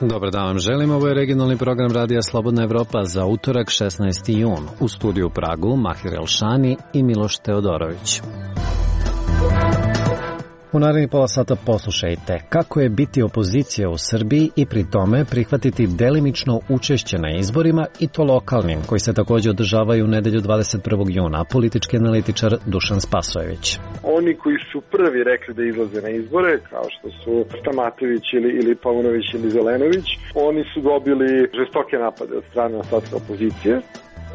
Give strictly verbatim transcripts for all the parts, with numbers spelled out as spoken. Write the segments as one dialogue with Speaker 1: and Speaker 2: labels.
Speaker 1: Dobar dan vam želim, ovo je regionalni program Radija Slobodna Evropa za utorak šesnaesti jun. U studiju u Pragu Mahir Elšani i Miloš Teodorović. U narednih pola sata poslušajte kako je biti opozicija u Srbiji i pri tome prihvatiti delimično učešće na izborima i to lokalnim, koji se također održavaju u nedelju dvadeset prvog juna, politički analitičar Dušan Spasojević.
Speaker 2: Oni koji su prvi rekli da izlaze na izbore, kao što su Stamatović ili, ili Paunović ili Zelenović, oni su dobili žestoke napade od strane ostatka opozicije.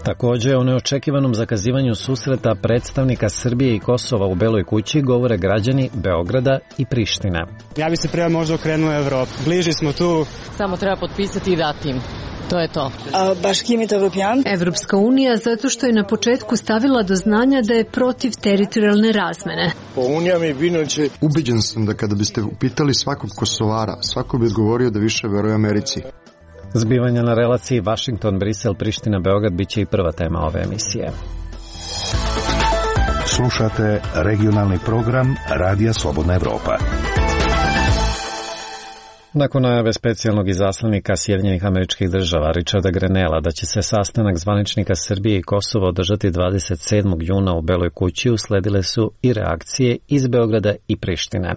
Speaker 1: Također o neočekivanom zakazivanju susreta predstavnika Srbije i Kosova u Beloj kući govore građani Beograda i Prištine.
Speaker 3: Ja bi se prema možda okrenuo Evropu. Bliži smo tu.
Speaker 4: Samo treba potpisati i dati im. To je to.
Speaker 5: Evropska unija zato što je na početku stavila do znanja da je protiv teritorijalne razmene.
Speaker 6: Ubeđen sam da kada biste upitali svakog Kosovara, svako bi odgovorio da više veruje Americi.
Speaker 1: Zbivanja na relaciji Washington, Brisel, Priština, Beograd bit će i prva tema ove emisije.
Speaker 7: Slušate regionalni program Radija Slobodna Evropa.
Speaker 1: Nakon najave specijalnog izaslanika Sjedinjenih Američkih Država Richarda Grenella da će se sastanak zvaničnika Srbije i Kosova održati dvadeset sedmog juna u Beloj kući, usledile su i reakcije iz Beograda i Prištine.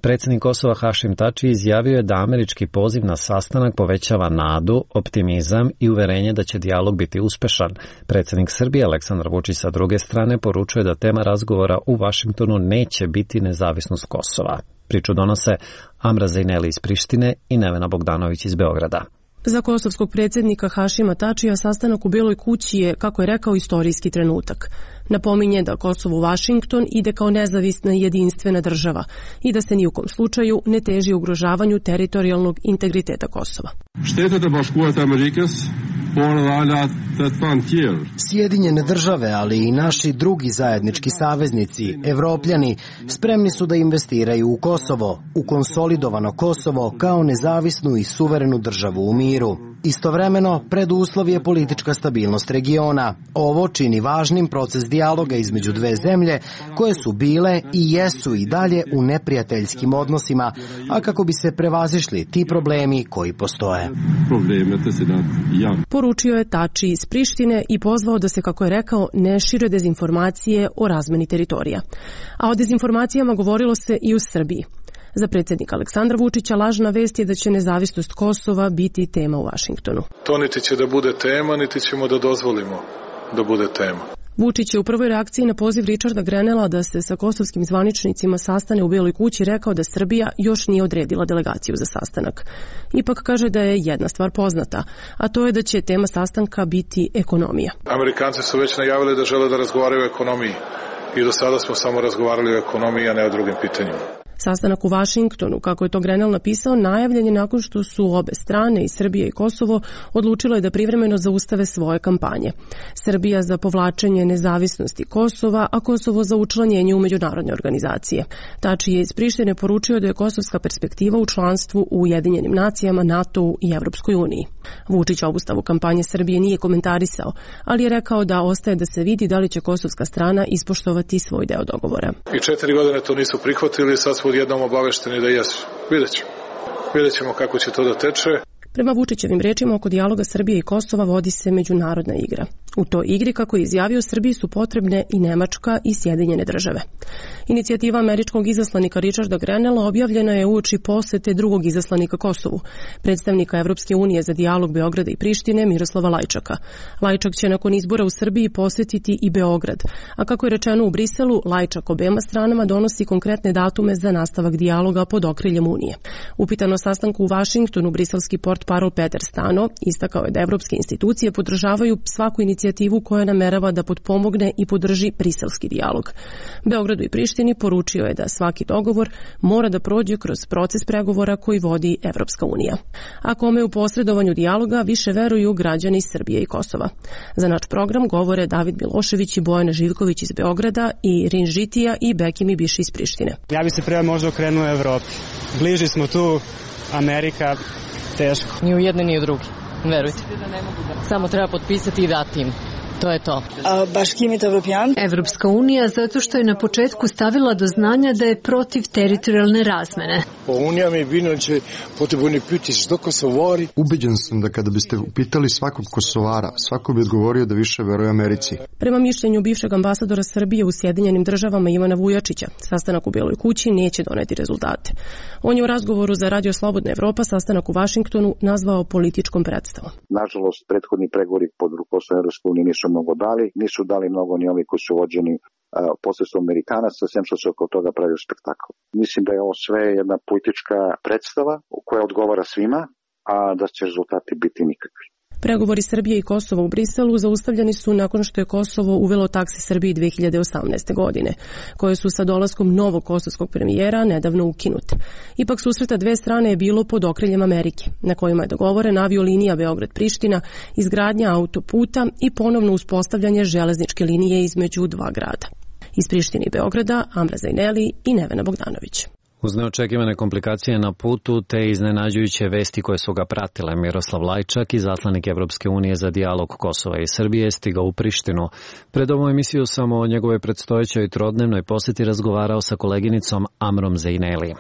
Speaker 1: Predsjednik Kosova Hašim Tači izjavio je da američki poziv na sastanak povećava nadu, optimizam i uverenje da će dijalog biti uspešan. Predsjednik Srbije Aleksandar Vučić sa druge strane poručuje da tema razgovora u Vašingtonu neće biti nezavisnost Kosova. Priču donose Amra Zejneli iz Prištine i Nevena Bogdanović iz Beograda.
Speaker 8: Za kosovskog predsjednika Hašima Tačija sastanak u Beloj kući je, kako je rekao, istorijski trenutak. Napominje da Kosovo u Vašington ide kao nezavisna i jedinstvena država i da se ni u kom slučaju ne teži ugrožavanju teritorijalnog integriteta Kosova.
Speaker 9: Sjedinjene države, ali i naši drugi zajednički saveznici, Evropljani, spremni su da investiraju u Kosovo, u konsolidovano Kosovo kao nezavisnu i suverenu državu u miru. Istovremeno, preduslov je politička stabilnost regiona. Ovo čini važnim proces dijaloga između dve zemlje koje su bile i jesu i dalje u neprijateljskim odnosima, a kako bi se prevazišli ti problemi koji postoje.
Speaker 8: Poručio je Tači iz Prištine i pozvao da se, kako je rekao, ne šire dezinformacije o razmeni teritorija. A o dezinformacijama govorilo se i u Srbiji. Za predsjednika Aleksandra Vučića lažna vest je da će nezavisnost Kosova biti tema u Vašingtonu.
Speaker 10: To niti će da bude tema, niti ćemo da dozvolimo da bude tema.
Speaker 8: Vučić je u prvoj reakciji na poziv Richarda Grenella da se sa kosovskim zvaničnicima sastane u Beloj kući rekao da Srbija još nije odredila delegaciju za sastanak. Ipak kaže da je jedna stvar poznata, a to je da će tema sastanka biti ekonomija.
Speaker 10: Amerikanci su već najavili da žele da razgovaraju o ekonomiji i do sada smo samo razgovarali o ekonomiji, a ne o drugim pitanjima.
Speaker 8: Sastanak u Vašingtonu, kako je to Grenell napisao, najavljen je nakon što su obe strane, i Srbija i Kosovo, odlučile da privremeno zaustave svoje kampanje. Srbija za povlačenje nezavisnosti Kosova, a Kosovo za učlanjenje u međunarodne organizacije. Tači je iz Prištine poručio da je kosovska perspektiva u članstvu u Ujedinjenim nacijama, NATO-u i Evropskoj uniji. Vučić obustavu kampanje Srbije nije komentarisao, ali je rekao da ostaje da se vidi da li će kosovska strana ispoštovati svoj deo dogovora.
Speaker 10: I četiri godine to nisu prihvatili, sad smo odjednom obavešteni da jesu. Vidjet ćemo. Vidjet ćemo kako će to da teče.
Speaker 8: Prema Vučićevim rečima, oko dijaloga Srbije i Kosova vodi se međunarodna igra. U toj igri, kako je izjavio, Srbiji su potrebne i Nemačka i Sjedinjene države. Inicijativa američkog izaslanika Richarda Grenella objavljena je uoči posete drugog izaslanika Kosovu, predstavnika Evropske unije za dijalog Beograda i Prištine Miroslava Lajčaka. Lajčak će nakon izbora u Srbiji posetiti i Beograd, a kako je rečeno u Briselu, Lajčak obema stranama donosi konkretne datume za nastavak dijaloga pod okriljem Unije. Upitano sastanku u Vašingtonu, briselski portparol Peter Stano istakao je da evropske institucije podržavaju svaku inicijativu koja namerava da potpomogne i podrži briselski dijalog. Beogradu i Prištini poručio je da svaki dogovor mora da prođe kroz proces pregovora koji vodi Evropska unija. A kome u posredovanju dijaloga više veruju građani Srbije i Kosova. Za naš program govore David Milošević i Bojana Živković iz Beograda i Rin Žitija i Bekimi Biši iz Prištine.
Speaker 3: Ja bi se prema možda okrenuo Evropi. Bliži smo tu, Amerika, teško.
Speaker 4: Ni u jedne ni u drugi, verujte. Samo treba potpisati i dati im. To je to.
Speaker 5: Evropska unija zato što je na početku stavila do znanja da je protiv teritorijalne razmene.
Speaker 6: Ubeđen sam da kada biste upitali svakog Kosovara, svako bi odgovorio da više veruje Americi.
Speaker 8: Prema mišljenju bivšeg ambasadora Srbije u Sjedinjenim državama Ivana Vujačića, sastanak u Beloj kući neće doneti rezultate. On je u razgovoru za Radio Slobodna Evropa sastanak u Vašingtonu nazvao političkom predstavom.
Speaker 11: Nažalost, prethodni pregovori pod rukovodstvom Evropske unije nisu mnogo dali, nisu dali mnogo ni ovi koji su vođeni posredstvom Amerikanaca, sem što se oko toga pravio spektakl. Mislim da je ovo sve jedna politička predstava koja odgovara svima, a da će rezultati biti nikakvi.
Speaker 8: Pregovori Srbije i Kosova u Briselu zaustavljeni su nakon što je Kosovo uvelo taksi Srbiji dve hiljade osamnaeste. godine, koje su sa dolaskom novog kosovskog premijera nedavno ukinute. Ipak susreta dve strane je bilo pod okriljem Amerike, na kojima je dogovoren aviolinija Beograd-Priština, izgradnja autoputa i ponovno uspostavljanje železničke linije između dva grada. Iz Prištine i Beograda, Amra Zajneli i Nevena Bogdanović.
Speaker 1: Uz neočekivane komplikacije na putu te iznenađujuće vesti koje su ga pratile, Miroslav Lajčak, izaslanik Evropske unije za dijalog Kosova i Srbije, stigao u Prištinu. Pred ovom emisiju sam o njegovoj predstojećoj trodnevnoj poseti razgovarao sa koleginicom Amrom Zajneli.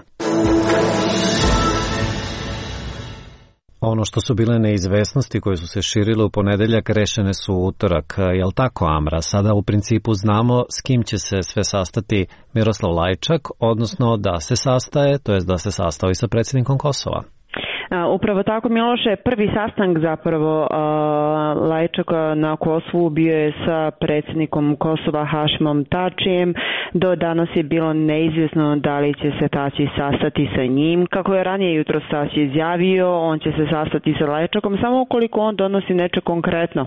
Speaker 1: Ono što su bile neizvesnosti koje su se širile u ponedeljak rešene su u utorak. Jel tako, Amra? Sada u principu znamo s kim će se sve sastati Miroslav Lajčak, odnosno da se sastaje, to jest da se sastao i sa predsjednikom Kosova.
Speaker 12: Upravo tako, Miloše, prvi sastanak zapravo Lajčaka na Kosovu bio je sa predsjednikom Kosova Hašimom Tačijem. Do danas je bilo neizvjesno da li će se Tači sastati sa njim. Kako je ranije jutro Tači izjavio, on će se sastati sa Lajčakom samo ukoliko on donosi nešto konkretno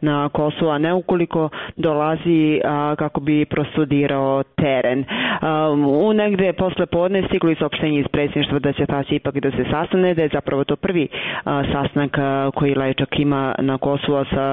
Speaker 12: na Kosovo, a ne ukoliko dolazi a, kako bi prostudirao teren. A, u negde posle podne stigli saopštenje iz predsjedništva da će Tači ipak da se sastane, da je zapravo to prvi a, sastanak a, koji Lajčak ima na Kosovo sa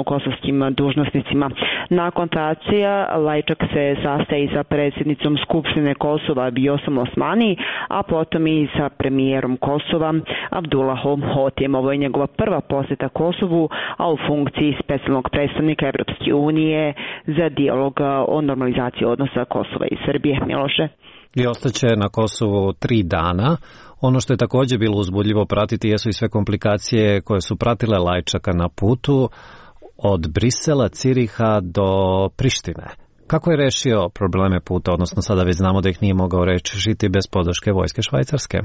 Speaker 12: kosovskim dužnosnicima. Nakon Tačija Lajčak se sastaje sa predsjednicom Skupštine Kosova Vjosom Osmani, a potom i sa premijerom Kosova Abdullahom Hotijem. Ovo je njegova prva posjeta Kosovu, a u funkciji specijalnog predstavnika Evropske unije za dijalog o normalizaciji odnosa Kosova i Srbije. Miloše.
Speaker 1: I ostaće na Kosovu tri dana. Ono što je također bilo uzbudljivo pratiti jesu i sve komplikacije koje su pratile Lajčaka na putu od Brisela, Ciriha do Prištine. Kako je rešio probleme puta, odnosno sada već znamo da ih nije mogao rešiti bez podrške vojske Švajcarske?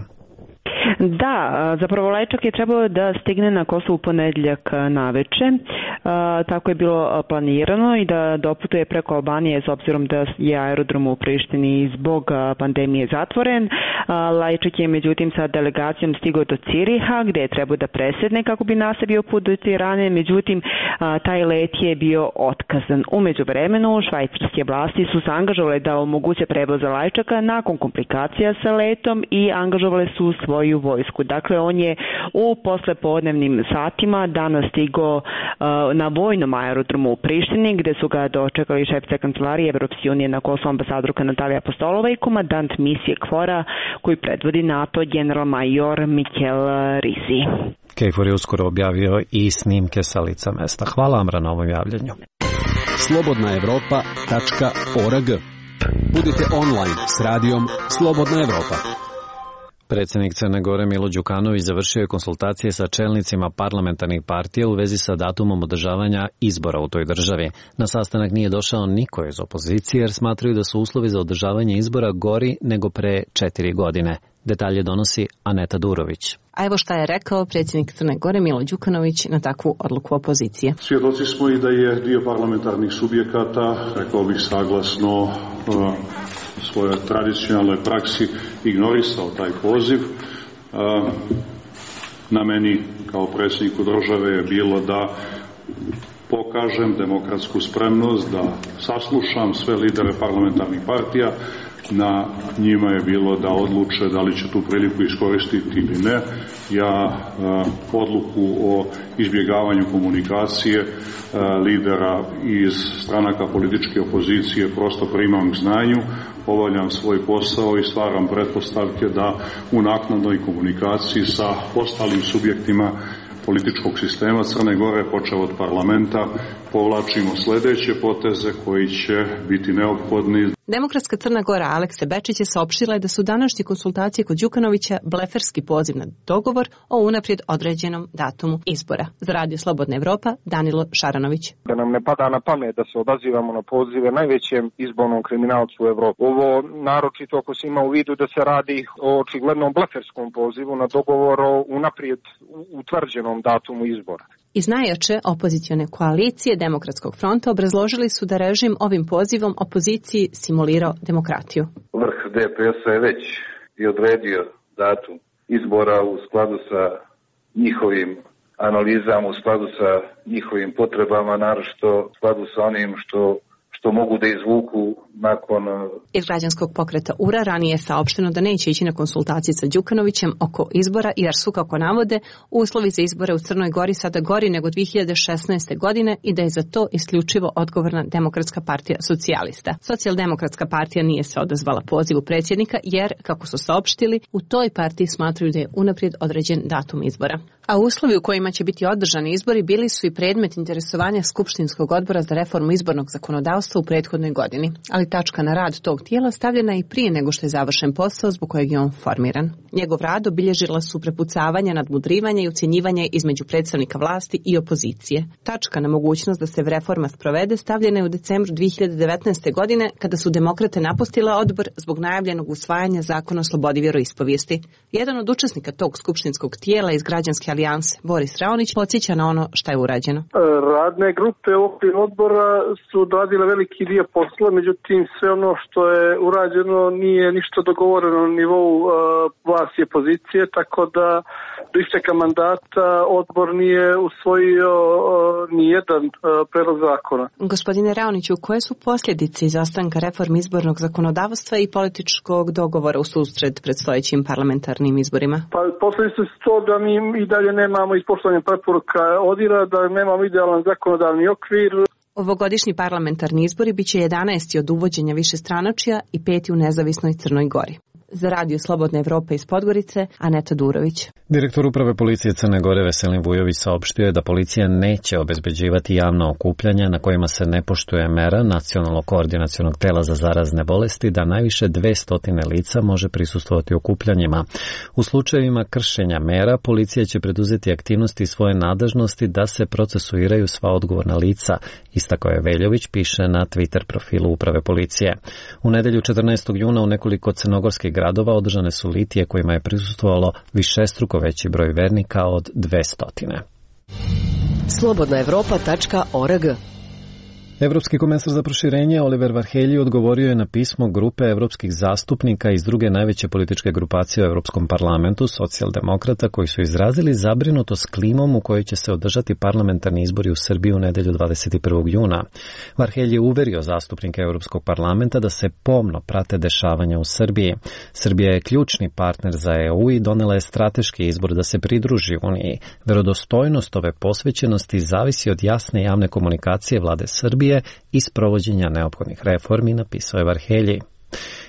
Speaker 12: Da, zapravo Lajčak je trebao da stigne na Kosovo u ponedjeljak naveče, tako je bilo planirano, i da doputuje preko Albanije s obzirom da je aerodrom u Prištini zbog pandemije zatvoren. Lajčak je međutim sa delegacijom stigao do Ciriha gdje je trebao da presedne kako bi nastavio put do Tirane, međutim taj let je bio otkazan. U međuvremenu švajcarske vlasti su se angažovale da omoguće prevoz Lajčaka nakon komplikacija sa letom i angažovale su svoju vojsku. Dakle, on je u poslepodnevnim satima danas stigao uh, na vojnom aerodromu u Prištini, gdje su ga dočekali šefica kancelarije Evropske unije na Kosovu ambasadorka Natalija Apostolova i komandant misije KFOR-a koji predvodi NATO general major Mikel Risi.
Speaker 1: KFOR je uskoro objavio i snimke sa lica mesta. Hvala Amra na ovom javljanju.
Speaker 13: slobodna evropa tačka org. Budite online s radijom Slobodna Evropa.
Speaker 1: Predsjednik Crne Gore Milo Đukanović završio je konsultacije sa čelnicima parlamentarnih partija u vezi sa datumom održavanja izbora u toj državi. Na sastanak nije došao niko iz opozicije jer smatraju da su uslovi za održavanje izbora gori nego pre četiri godine. Detalje donosi Aneta Durović.
Speaker 14: A evo šta je rekao predsjednik Crne Gore Milo Đukanović na takvu odluku opozicije.
Speaker 15: Svjedoci smo i da je dio parlamentarnih subjekata, rekao bih saglasno uh, svojoj tradicionalnoj praksi, ignorisao taj poziv. Uh, na meni kao predsjedniku države je bilo da pokažem demokratsku spremnost, da saslušam sve lidere parlamentarnih partija. Na njima je bilo da odluče da li će tu priliku iskoristiti ili ne. Ja uh, odluku o izbjegavanju komunikacije uh, lidera iz stranaka političke opozicije prosto primam k znanju, obavljam svoj posao i stvaram pretpostavke da u naknadnoj komunikaciji sa ostalim subjektima političkog sistema Crne Gore, počeo od parlamenta, povlačimo sledeće poteze koji će biti neophodni.
Speaker 14: Demokratska Crna Gora Aleksa Bečić je saopštila da su današnje konsultacije kod Đukanovića bleferski poziv na dogovor o unaprijed određenom datumu izbora. Za Radio Slobodna Evropa, Danilo Šaranović.
Speaker 16: Da nam ne pada na pamet da se odazivamo na pozive najvećem izbornom kriminalcu u Evropi. Ovo naročito ako se ima u vidu da se radi o očiglednom bleferskom pozivu na dogovor o unaprijed utvrđenom datumu izbora.
Speaker 14: Iz najjače opozicione koalicije Demokratskog fronta obrazložili su da režim ovim pozivom opoziciji simulirao demokratiju.
Speaker 17: Vrh D P S-a je već i odredio datum izbora u skladu sa njihovim analizama, u skladu sa njihovim potrebama, naročito u skladu sa onim što što mogu da izvuku nakon...
Speaker 14: Iz građanskog pokreta U R A ranije je saopšteno da neće ići na konsultacije sa Đukanovićem oko izbora, jer su, kako navode, uslovi za izbore u Crnoj Gori sada gori nego dve hiljade šesnaeste. godine i da je za to isključivo odgovorna Demokratska partija socijalista. Socijaldemokratska partija nije se odazvala pozivu predsjednika jer, kako su saopštili, u toj partiji smatraju da je unaprijed određen datum izbora. A uslovi u kojima će biti održani izbori bili su i predmet interesovanja Skupštinskog odbora za reformu izbornog zakonodavstva u prethodnoj godini, ali tačka na rad tog tijela stavljena i prije nego što je završen posao zbog kojeg je on formiran. Njegov rad obilježila su prepucavanja, nadmudrivanje i ucjenjivanje između predstavnika vlasti i opozicije. Tačka na mogućnost da se reforma sprovede stavljena je u decembru dve hiljade devetnaeste. godine kada su demokrate napustile odbor zbog najavljenog usvajanja zakona o slobodi vjeroispovijesti. Jedan od učesnika tog skupštinskog tijela iz Građanske alijanse, Boris Raonić, podsjeća na ono šta je urađeno.
Speaker 2: Radne grupe u okviru odbora su odradile veliki dio posla, međutim sve ono što je urađeno nije ništa dogovoreno na nivou uh, vlasti i opozicije, tako da do isteka mandata odbor nije usvojio uh, nijedan uh, predlog zakona.
Speaker 14: Gospodine Raoniću, koje su posljedice izostanka reformi izbornog zakonodavstva i političkog dogovora u susret predstojećim parlamentarnim izborima?
Speaker 2: Pa posljedice su to da mi i dalje nemamo ispoštovanje preporuka ODIR-a, da nemamo idealan zakonodavni okvir.
Speaker 14: Ovogodišnji parlamentarni izbori biće jedanaesti od uvođenja višestranačja i peti u nezavisnoj Crnoj Gori. Za Radio Slobodna Evropa iz Podgorice, Aneta Durović.
Speaker 1: Direktor uprave policije Crne Gore Veselin Vujović saopštio je da policija neće obezbeđivati javna okupljanja na kojima se ne poštuje mera Nacionalnog koordinacionog tela za zarazne bolesti da najviše dvesta lica može prisustvovati okupljanjima. U slučajevima kršenja mera policija će preduzeti aktivnosti svoje nadležnosti da se procesuiraju sva odgovorna lica, istakao je Veljović, piše na Twitter profilu uprave policije. U nedelju četrnaestog juna u nekoliko crnogorskih gradova održane su litije kojima je prisustvovalo višestruko veći broj vernika od dvesta.
Speaker 18: slobodna evropa tačka org.
Speaker 1: Evropski komesar za proširenje Oliver Varhelyi odgovorio je na pismo grupe evropskih zastupnika iz druge najveće političke grupacije u Evropskom parlamentu, socijaldemokrata, koji su izrazili zabrinutost klimom u kojoj će se održati parlamentarni izbori u Srbiji u nedelju dvadeset prvog juna. Varhelyi je uverio zastupnike Evropskog parlamenta da se pomno prate dešavanja u Srbiji. Srbija je ključni partner za E U i donela je strateški izbor da se pridruži Uniji. Verodostojnost ove posvećenosti zavisi od jasne javne komunikacije vlade Srbije i sprovođenja neophodnih reformi, napisao je Varhelyi.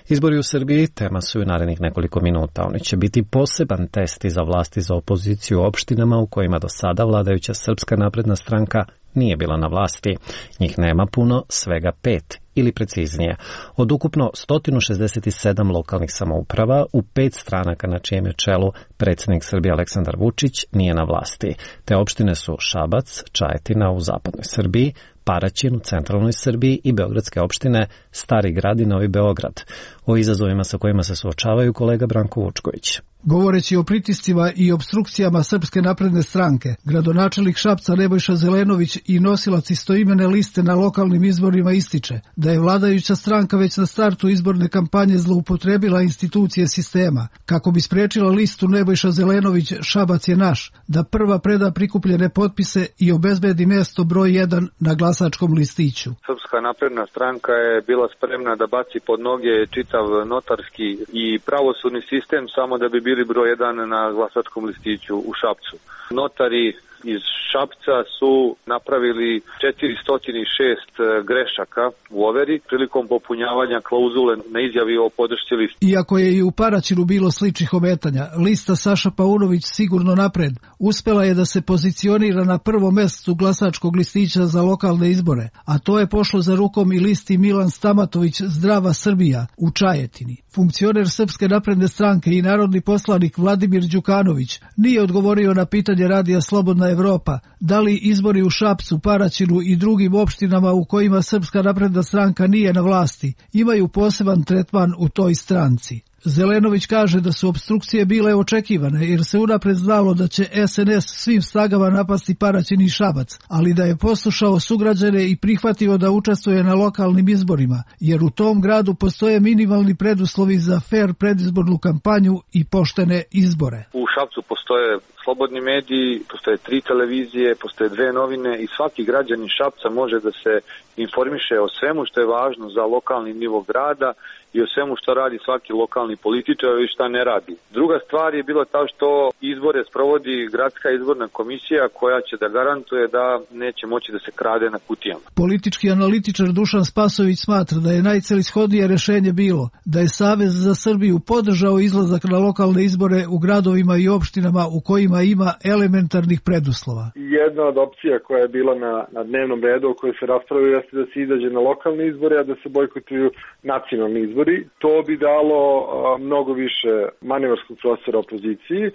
Speaker 1: Izbori u Srbiji tema su u narednih nekoliko minuta. Oni će biti poseban test i za vlasti za opoziciju u opštinama u kojima do sada vladajuća Srpska napredna stranka nije bila na vlasti. Njih nema puno, svega pet, ili preciznije. Od ukupno sto šezdeset sedam lokalnih samouprava u pet stranaka na čijem je čelu predsjednik Srbije Aleksandar Vučić nije na vlasti. Te opštine su Šabac, Čajetina u zapadnoj Srbiji, Paraćin u centralnoj Srbiji i beogradske opštine Stari Grad i Novi Beograd. O izazovima sa kojima se suočavaju kolega Branko Vučković.
Speaker 19: Govoreći o pritiscima i obstrukcijama Srpske napredne stranke, gradonačelnik Šapca Nebojša Zelenović i nosilac istoimene liste na lokalnim izborima ističe da je vladajuća stranka već na startu izborne kampanje zloupotrebila institucije sistema. Kako bi sprečila listu Nebojša Zelenović Šabac je naš, da prva preda prikupljene potpise i obezbedi mjesto broj jedan na glasačkom listiću.
Speaker 20: Srpska napredna stranka je bila spremna da baci pod noge čitav notarski i pravosudni sistem samo da bi bili broj jedan na glasačkom listiću u Šapcu. Notari iz Šapca su napravili četiristo šest grešaka u overi prilikom popunjavanja klauzule na izjavi o podršci listi.
Speaker 19: Iako je i u Paraćinu bilo sličnih ometanja, lista Saša Paunović sigurno napred uspela je da se pozicionira na prvom mestu glasačkog listića za lokalne izbore, a to je pošlo za rukom i listi Milan Stamatović Zdrava Srbija u Čajetini. Funkcioner Srpske napredne stranke i narodni poslanik Vladimir Đukanović nije odgovorio na pitanje Radija Slobodna Evropa da li izbori u Šapcu, Paraćinu i drugim opštinama u kojima Srpska napredna stranka nije na vlasti imaju poseban tretman u toj stranci. Zelenović kaže da su opstrukcije bile očekivane jer se unapred znalo da će es en es svim snagama napasti Paraćin i Šabac, ali da je poslušao sugrađane i prihvatio da učestvuje na lokalnim izborima, jer u tom gradu postoje minimalni preduslovi za fer predizbornu kampanju i poštene izbore.
Speaker 20: U Šapcu postoje slobodni mediji, postoje tri televizije, postoje dve novine i svaki građanin Šapca može da se informiše o svemu što je važno za lokalni nivo grada i o svemu što radi svaki lokalni političar i šta ne radi. Druga stvar je bilo ta što izbore sprovodi gradska izborna komisija koja će da garantuje da neće moći da se krade na kutijama.
Speaker 19: Politički analitičar Dušan Spasović smatra da je najcelishodnije rešenje bilo da je Savez za Srbiju podržao izlazak na lokalne izbore u gradovima i opštinama u kojima ima elementarnih preduslova.
Speaker 18: Jedna od opcija koja je bila na, na dnevnom redu o kojoj se raspravljaju jeste da se izađe na lokalne izbore, a da se bojkotuju nacionalni izbori. To bi dalo a, mnogo više manevarskog prostora opoziciji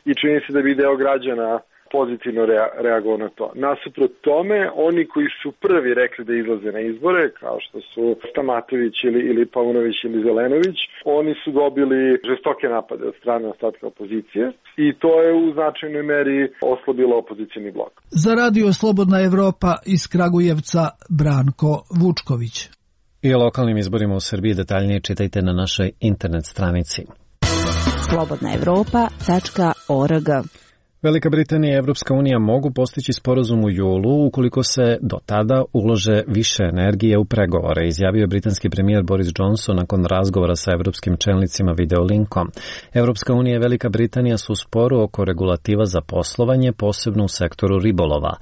Speaker 18: i čini se da bi deo građana pozitivno rea, reagovao na to. Nasuprot tome, oni koji su prvi rekli da izlaze na izbore, kao što su Stamatović ili, ili Paunović ili Zelenović, oni su dobili žestoke napade od strane ostatka opozicije i to je u značajnoj meri oslabilo opozicijni blok.
Speaker 19: Za Radio Slobodna Evropa iz Kragujevca Branko Vučković.
Speaker 1: I o lokalnim izborima u Srbiji detaljnije čitajte na našoj internet stranici.
Speaker 21: slobodna evropa tačka org.
Speaker 1: Velika Britanija i Evropska unija mogu postići sporazum u julu ukoliko se do tada ulože više energije u pregovore, izjavio je britanski premijer Boris Johnson nakon razgovora sa evropskim čelnicima videolinkom. Evropska unija i Velika Britanija su u sporu oko regulativa za poslovanje, posebno u sektoru ribolova.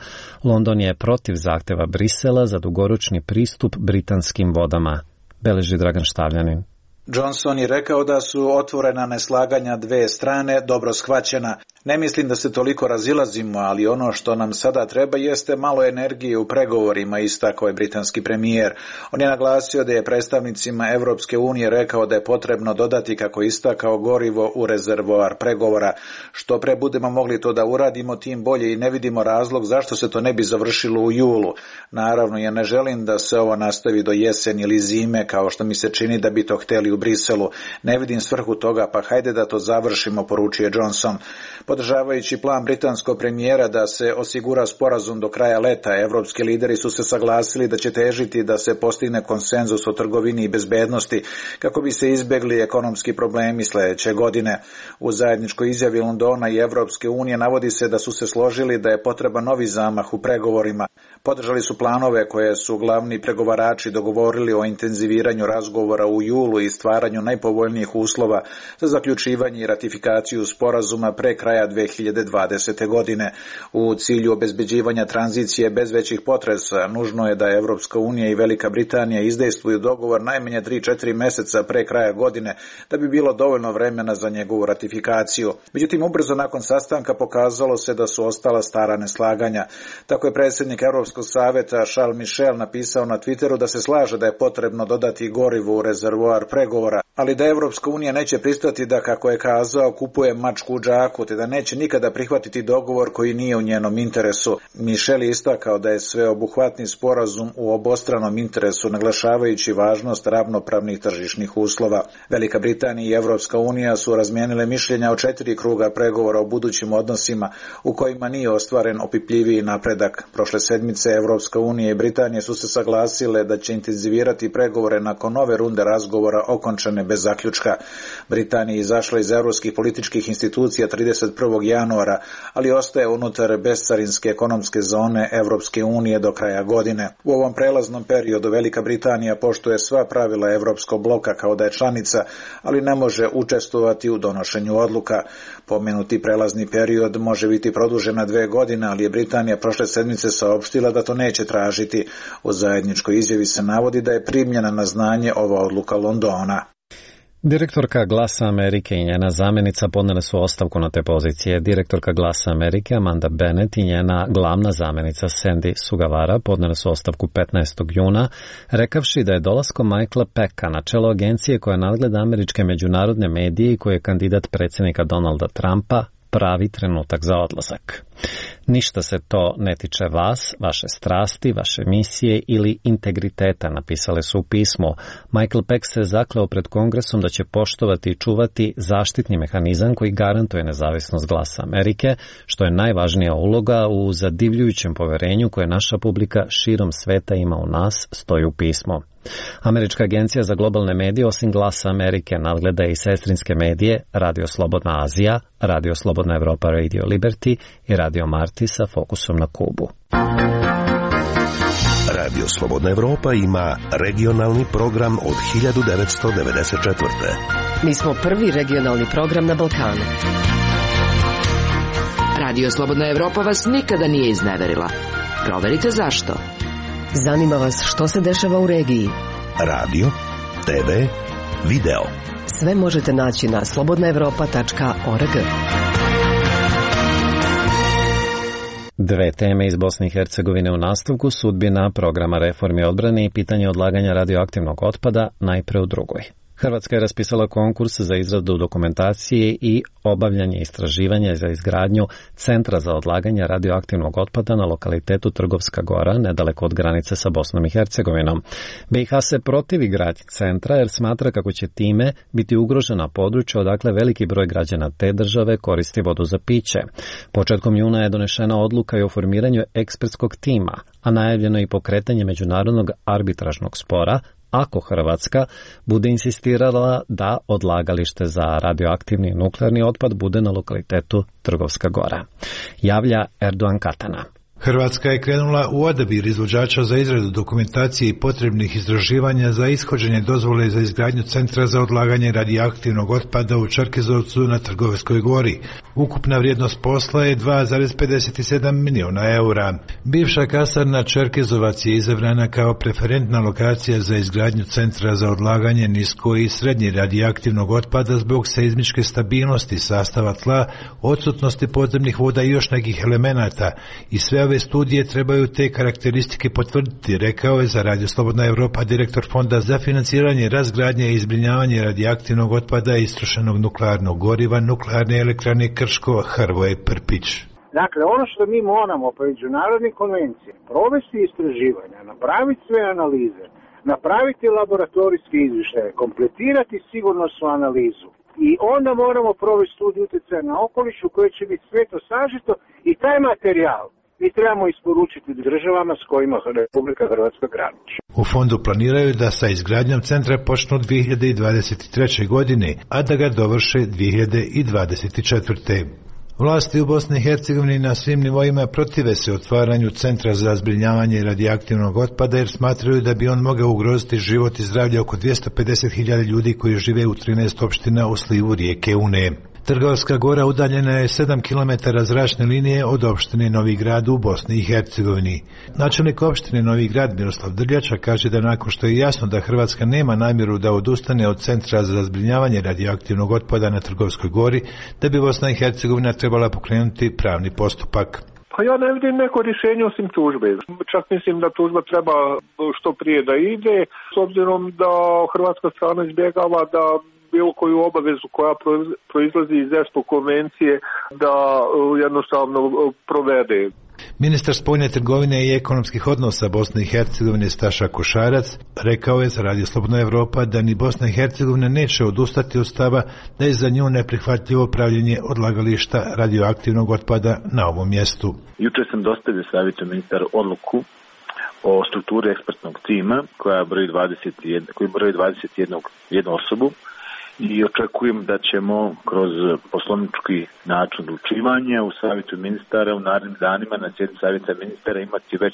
Speaker 1: London je protiv zahteva Brisela za dugoročni pristup britanskim vodama, beleži Dragan Štavljanin.
Speaker 22: Johnson je rekao da su otvorena neslaganja dve strane dobro shvaćena. Ne mislim da se toliko razilazimo, ali ono što nam sada treba jeste malo energije u pregovorima, istakao je britanski premijer. On je naglasio da je predstavnicima Evropske unije rekao da je potrebno dodati, kako istakao, gorivo u rezervoar pregovora. Što pre budemo mogli to da uradimo, tim bolje, i ne vidimo razlog zašto se to ne bi završilo u julu. Naravno, ja ne želim da se ovo nastavi do jeseni ili zime, kao što mi se čini da bi to hteli u Briselu. Ne vidim svrhu toga, pa hajde da to završimo, poručuje Johnson. Podržavajući plan britanskog premijera da se osigura sporazum do kraja leta, evropski lideri su se saglasili da će težiti da se postigne konsenzus o trgovini i bezbednosti kako bi se izbjegli ekonomski problemi sljedeće godine. U zajedničkoj izjavi Londona i Evropske unije navodi se da su se složili da je potreban novi zamah u pregovorima. Podržali su planove koje su glavni pregovarači dogovorili o intenziviranju razgovora u julu i stvaranju najpovoljnijih uslova za zaključivanje i ratifikaciju sporazuma pre kraja dve hiljade dvadesete. godine. U cilju obezbeđivanja tranzicije bez većih potresa, nužno je da Evropska unija i Velika Britanija izdejstvuju dogovor najmanje tri do četiri meseca pre kraja godine, da bi bilo dovoljno vremena za njegovu ratifikaciju. Međutim, ubrzo nakon sastanka pokazalo se da su ostala stara neslaganja. Tako je predsjednik Europskog saveta Charles Michel napisao na Twitteru da se slaže da je potrebno dodati gorivo u rezervoar pregovora, ali da Evropska unija neće pristati da, kako je kazao, kupuje mačku u džaku, te da neće nikada prihvatiti dogovor koji nije u njenom interesu. Michel je istakao da je sveobuhvatni sporazum u obostranom interesu, naglašavajući važnost ravnopravnih tržišnih uslova. Velika Britanija i Evropska unija su razmijenile mišljenja o četiri kruga pregovora o budućim odnosima u kojima nije ostvaren opipljiviji napredak. Prošle sedmice Evropska unija i Britanija su se saglasile da će intenzivirati pregovore nakon nove runde razgovora okončane bez zaključka. Britanija je izašla iz evropskih političkih institucija trideset prvog januara, ali ostaje unutar bezcarinske ekonomske zone Evropske unije do kraja godine. U ovom prelaznom periodu Velika Britanija poštuje sva pravila Evropskog bloka kao da je članica, ali ne može učestvovati u donošenju odluka. Pomenuti prelazni period može biti produžen na dve godine, ali je Britanija prošle sedmice saopštila da to neće tražiti. U zajedničkoj izjavi se navodi da je primljena na znanje ova odluka Londona.
Speaker 1: Direktorka Glasa Amerike i njena zamjenica podnele su ostavku na te pozicije. Direktorka Glasa Amerike Amanda Bennett i njena glavna zamjenica Sandy Sugawara podnele su ostavku petnaestog juna, rekavši da je dolaskom Michaela Pecka na čelo agencije koja nadgleda američke međunarodne medije i koji je kandidat predsjednika Donalda Trumpa pravi trenutak za odlazak. Ništa se to ne tiče vas, vaše strasti, vaše misije ili integriteta, napisale su u pismu. Michael Peck se zakleo pred Kongresom da će poštovati i čuvati zaštitni mehanizam koji garantuje nezavisnost Glasa Amerike, što je najvažnija uloga u zadivljujućem poverenju koje naša publika širom sveta ima u nas, stoji u pismu. Američka agencija za globalne medije osim Glasa Amerike nadgleda i sestrinske medije Radio Slobodna Azija, Radio Slobodna Evropa Radio Liberty i Radio Marti sa fokusom na Kubu.
Speaker 7: Radio Slobodna Evropa ima regionalni program od hiljadu devetsto devedeset četvrte.
Speaker 9: Mi smo prvi regionalni program na Balkanu.
Speaker 23: Radio Slobodna Evropa vas nikada nije izneverila. Proverite zašto.
Speaker 9: Zanima vas što se dešava u regiji.
Speaker 7: Radio, te ve, video.
Speaker 9: Sve možete naći na slobodna evropa tačka org.
Speaker 1: Dve teme iz Bosne i Hercegovine u nastavku, sudbina programa reformi odbrane i pitanje odlaganja radioaktivnog otpada, najpre u drugoj. Hrvatska je raspisala konkurs za izradu dokumentacije i obavljanje istraživanja za izgradnju Centra za odlaganje radioaktivnog otpada na lokalitetu Trgovska Gora, nedaleko od granice sa Bosnom i Hercegovinom. be i ha se protivi gradnji centra jer smatra kako će time biti ugrožena područja odakle veliki broj građana te države koristi vodu za piće. Početkom juna je donešena odluka i o formiranju ekspertskog tima, a najavljeno i pokretanje međunarodnog arbitražnog spora ako Hrvatska bude insistirala da odlagalište za radioaktivni nuklearni otpad bude na lokalitetu Trgovska Gora. Javlja Erdogan Katana.
Speaker 24: Hrvatska je krenula u odabir izvođača za izradu dokumentacije i potrebnih istraživanja za ishođenje dozvole za izgradnju Centra za odlaganje radioaktivnog otpada u Čerkezovcu na Trgovskoj Gori. Ukupna vrijednost posla je dva zarez pedeset sedam miliona eura. Bivša kasarna Čerkezovac je izabrana kao preferentna lokacija za izgradnju Centra za odlaganje nisko i srednje radioaktivnog otpada zbog seizmičke stabilnosti sastava tla, odsutnosti podzemnih voda i još nekih elemenata, i sve ove studije trebaju te karakteristike potvrditi, rekao je za Radio Slobodna Evropa direktor Fonda za financiranje, razgradnje i zbrinjavanje radioaktivnog otpada i istrošenog nuklearnog goriva Nuklearne elektrane Krško Hrvoje Prpić.
Speaker 25: Dakle, ono što mi moramo po međunarodnim konvencijama provesti istraživanja, napraviti sve analize, napraviti laboratorijske izvještaje, kompletirati sigurnosnu analizu i onda moramo provesti studiju utjecaja na okoliš u kojoj će biti sve to sažeto i taj materijal mi trebamo isporučiti državama s kojima Republika Hrvatska graniči.
Speaker 24: U fondu planiraju da sa izgradnjom centra počnu dvije hiljade dvadeset treće. godine, a da ga dovrše dvije hiljade dvadeset četvrte. Vlasti u Bosni i Hercegovini na svim nivoima protive se otvaranju Centra za zbrinjavanje radioaktivnog otpada jer smatraju da bi on mogao ugroziti život i zdravlje oko dvjesto pedeset hiljada ljudi koji žive u trinaest opština u slivu rijeke Une. Trgovska Gora udaljena je sedam kilometara zračne linije od opštine Novi Grad u Bosni i Hercegovini. Načelnik opštine Novi Grad Miroslav Drljača kaže da nakon što je jasno da Hrvatska nema namjeru da odustane od Centra za zbrinjavanje radioaktivnog otpada na Trgovskoj Gori, da bi Bosna i Hercegovina trebala pokrenuti pravni postupak.
Speaker 16: Pa ja ne vidim neko rješenje osim tužbe. Čak mislim da tužba treba što prije da ide, s obzirom da hrvatska strana izbjegava da bilo koju obavezu koja proizlazi iz ESPO konvencije da jednostavno provede.
Speaker 24: Ministar spoljne trgovine i ekonomskih odnosa Bosne i Hercegovine Staša Košarac rekao je za Radio Slobodna Evropa da ni Bosna i Hercegovina neće odustati od stava da je za nju neprihvatljivo pravljenje odlagališta radioaktivnog otpada na ovom mjestu.
Speaker 26: Juče sam dostavio savjetu ministar odluku o strukturi ekspertnog tima koja broji dvadeset jedan, koji broji dvadeset jedan jednu osobu i očekujem da ćemo kroz poslovnički način odlučivanja u savjetu ministara u narednim danima na sjednici savjeta ministara imati već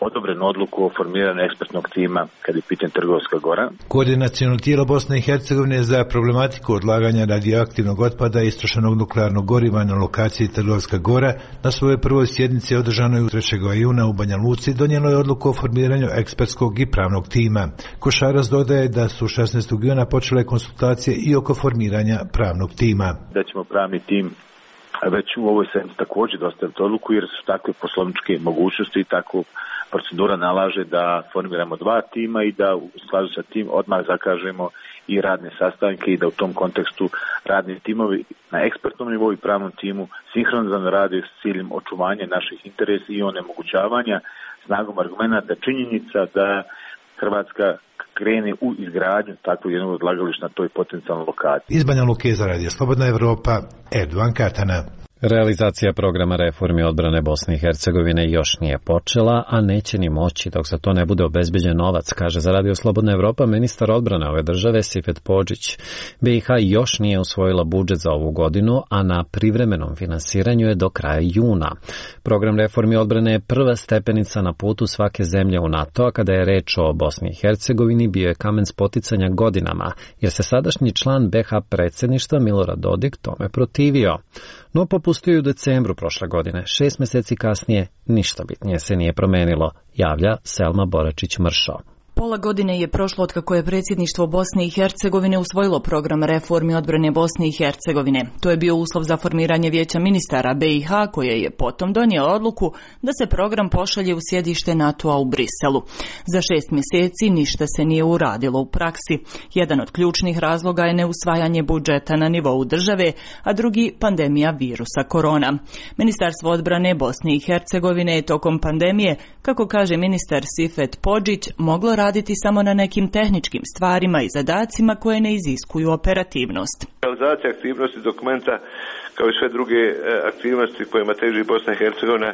Speaker 26: odobrenu odluku o formiranju ekspertnog tima kad je pitanje Trgovska Gora.
Speaker 24: Koordinaciono tijelo Bosne i Hercegovine za problematiku odlaganja radioaktivnog otpada i istrošenog nuklearnog goriva na lokaciji Trgovska Gora na svojoj prvoj sjednici održanoj u trećeg juna u Banja Luci donijelo je odluku o formiranju ekspertskog i pravnog tima. Košaras dodaje da su šesnaestog juna počele konsultacije i oko formiranja pravnog tima.
Speaker 26: Da ćemo pravni tim već u ovoj sedmici također dostaviti odluku jer su takve poslovničke mogućnosti i tako procedura nalaže da formiramo dva tima i da u skladu sa tim odmah zakažemo i radne sastanke i da u tom kontekstu radni timovi na ekspertnom nivou i pravnom timu sinhronizovano rade s ciljem očuvanja naših interesa i onemogućavanja snagom argumenta činjenica da Hrvatska krene u izgradnju takvog jednog odlagališta na toj potencijalnoj lokaciji.
Speaker 24: Iz Banja Luke za Radio Slobodna Evropa, Erdovan Katana.
Speaker 1: Realizacija programa reformi odbrane Bosne i Hercegovine još nije počela, a neće ni moći dok za to ne bude obezbeđen novac, kaže za Radio Slobodna Evropa ministar odbrane ove države Sifet Podžić. B i H još nije usvojila budžet za ovu godinu, a na privremenom finansiranju je do kraja juna. Program reformi odbrane je prva stepenica na putu svake zemlje u NATO, a kada je reč o Bosni i Hercegovini bio je kamen spoticanja godinama, jer se sadašnji član B H predsjedništva Milorad Dodik tome protivio. No popustio je u decembru prošle godine. Šest mjeseci kasnije ništa bitnije se nije promenilo, javlja Selma Boračić-Mršo.
Speaker 3: Pola godine je prošlo od kako je predsjedništvo Bosne i Hercegovine usvojilo program reformi odbrane Bosne i Hercegovine. To je bio uslov za formiranje vijeća ministara B i H koje je potom donijelo odluku da se program pošalje u sjedište NATO-a u Briselu. Za šest mjeseci ništa se nije uradilo u praksi. Jedan od ključnih razloga je neusvajanje budžeta na nivou države, a drugi pandemija virusa korona. Ministarstvo odbrane Bosne i Hercegovine je tokom pandemije, kako kaže ministar Sifet Podžić, moglo raditi raditi samo na nekim tehničkim stvarima i zadacima koje ne iziskuju operativnost.
Speaker 4: Realizacija aktivnosti dokumenta kao i sve druge aktivnosti kojima teži Bosna i Hercegovina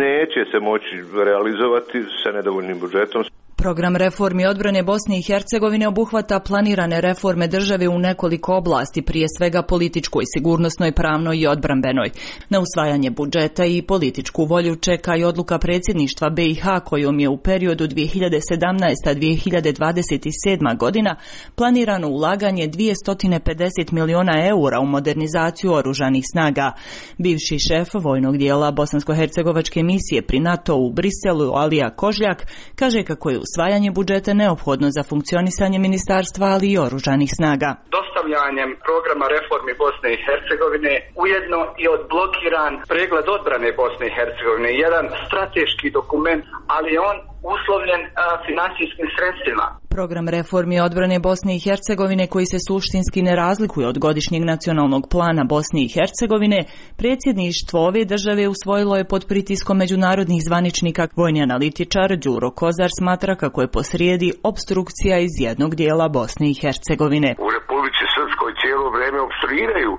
Speaker 4: neće se moći realizovati sa nedovoljnim budžetom.
Speaker 3: Program reformi odbrane Bosne i Hercegovine obuhvata planirane reforme države u nekoliko oblasti, prije svega političkoj, sigurnosnoj, pravnoj i odbrambenoj. Na usvajanje budžeta i političku volju čeka i odluka predsjedništva B i H kojom je u periodu dvije hiljade sedamnaesta do dvije hiljade dvadeset sedma godina planirano ulaganje dvjesto pedeset miliona eura u modernizaciju oružanih snaga. Bivši šef vojnog dijela bosansko-hercegovačke misije pri NATO u Briselu, Alija Kožljak, kaže kako je usvajanje budžeta neophodno za funkcionisanje ministarstva, ali i oružanih snaga.
Speaker 5: Dostavljanjem programa reformi Bosne i Hercegovine ujedno i odblokiran pregled odbrane Bosne i Hercegovine, jedan strateški dokument, ali je on uslovljen a, finansijskim sredstvima.
Speaker 3: Program reformi odbrane Bosne i Hercegovine, koji se suštinski ne razlikuje od godišnjeg nacionalnog plana Bosne i Hercegovine, predsjedništvo ove države usvojilo je pod pritiskom međunarodnih zvaničnika. Vojni analitičar Đuro Kozar smatra kako je posrijedi opstrukcija iz jednog dijela Bosne i Hercegovine.
Speaker 6: U Republici Srpskoj cijelo vrijeme opstruiraju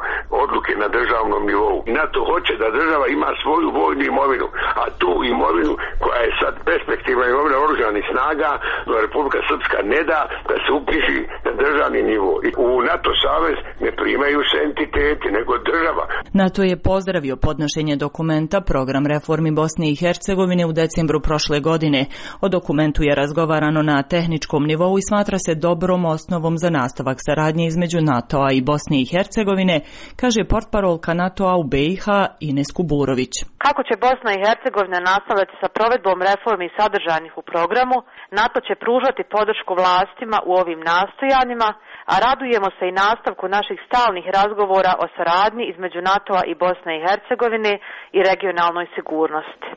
Speaker 6: odluke na državnom nivou. NATO hoće da država ima svoju vojnu imovinu, a tu imovinu koja je sad perspektivna imovina oružanih snaga, Republika Srpska ne da da se upiši na državni nivo. I u NATO savez ne primaju se entiteti, nego država.
Speaker 3: NATO je pozdravio podnošenje dokumenta Program reformi Bosne i Hercegovine u decembru prošle godine. O dokumentu je razgovarano na tehničkom nivou i smatra se dobrom osnovom za nastavak saradnje između NATO-a i Bosne i Hercegovine, kaže portparolka NATO-a u B i H Ines Kuburović.
Speaker 10: Kako će Bosna i Hercegovina nastaviti sa provedbom reformi sadržanih u programu, NATO će pružati podršku vlastima u ovim nastojanjima, a radujemo se i nastavku naših stalnih razgovora o saradnji između NATO-a i Bosne i Hercegovine i regionalnoj sigurnosti.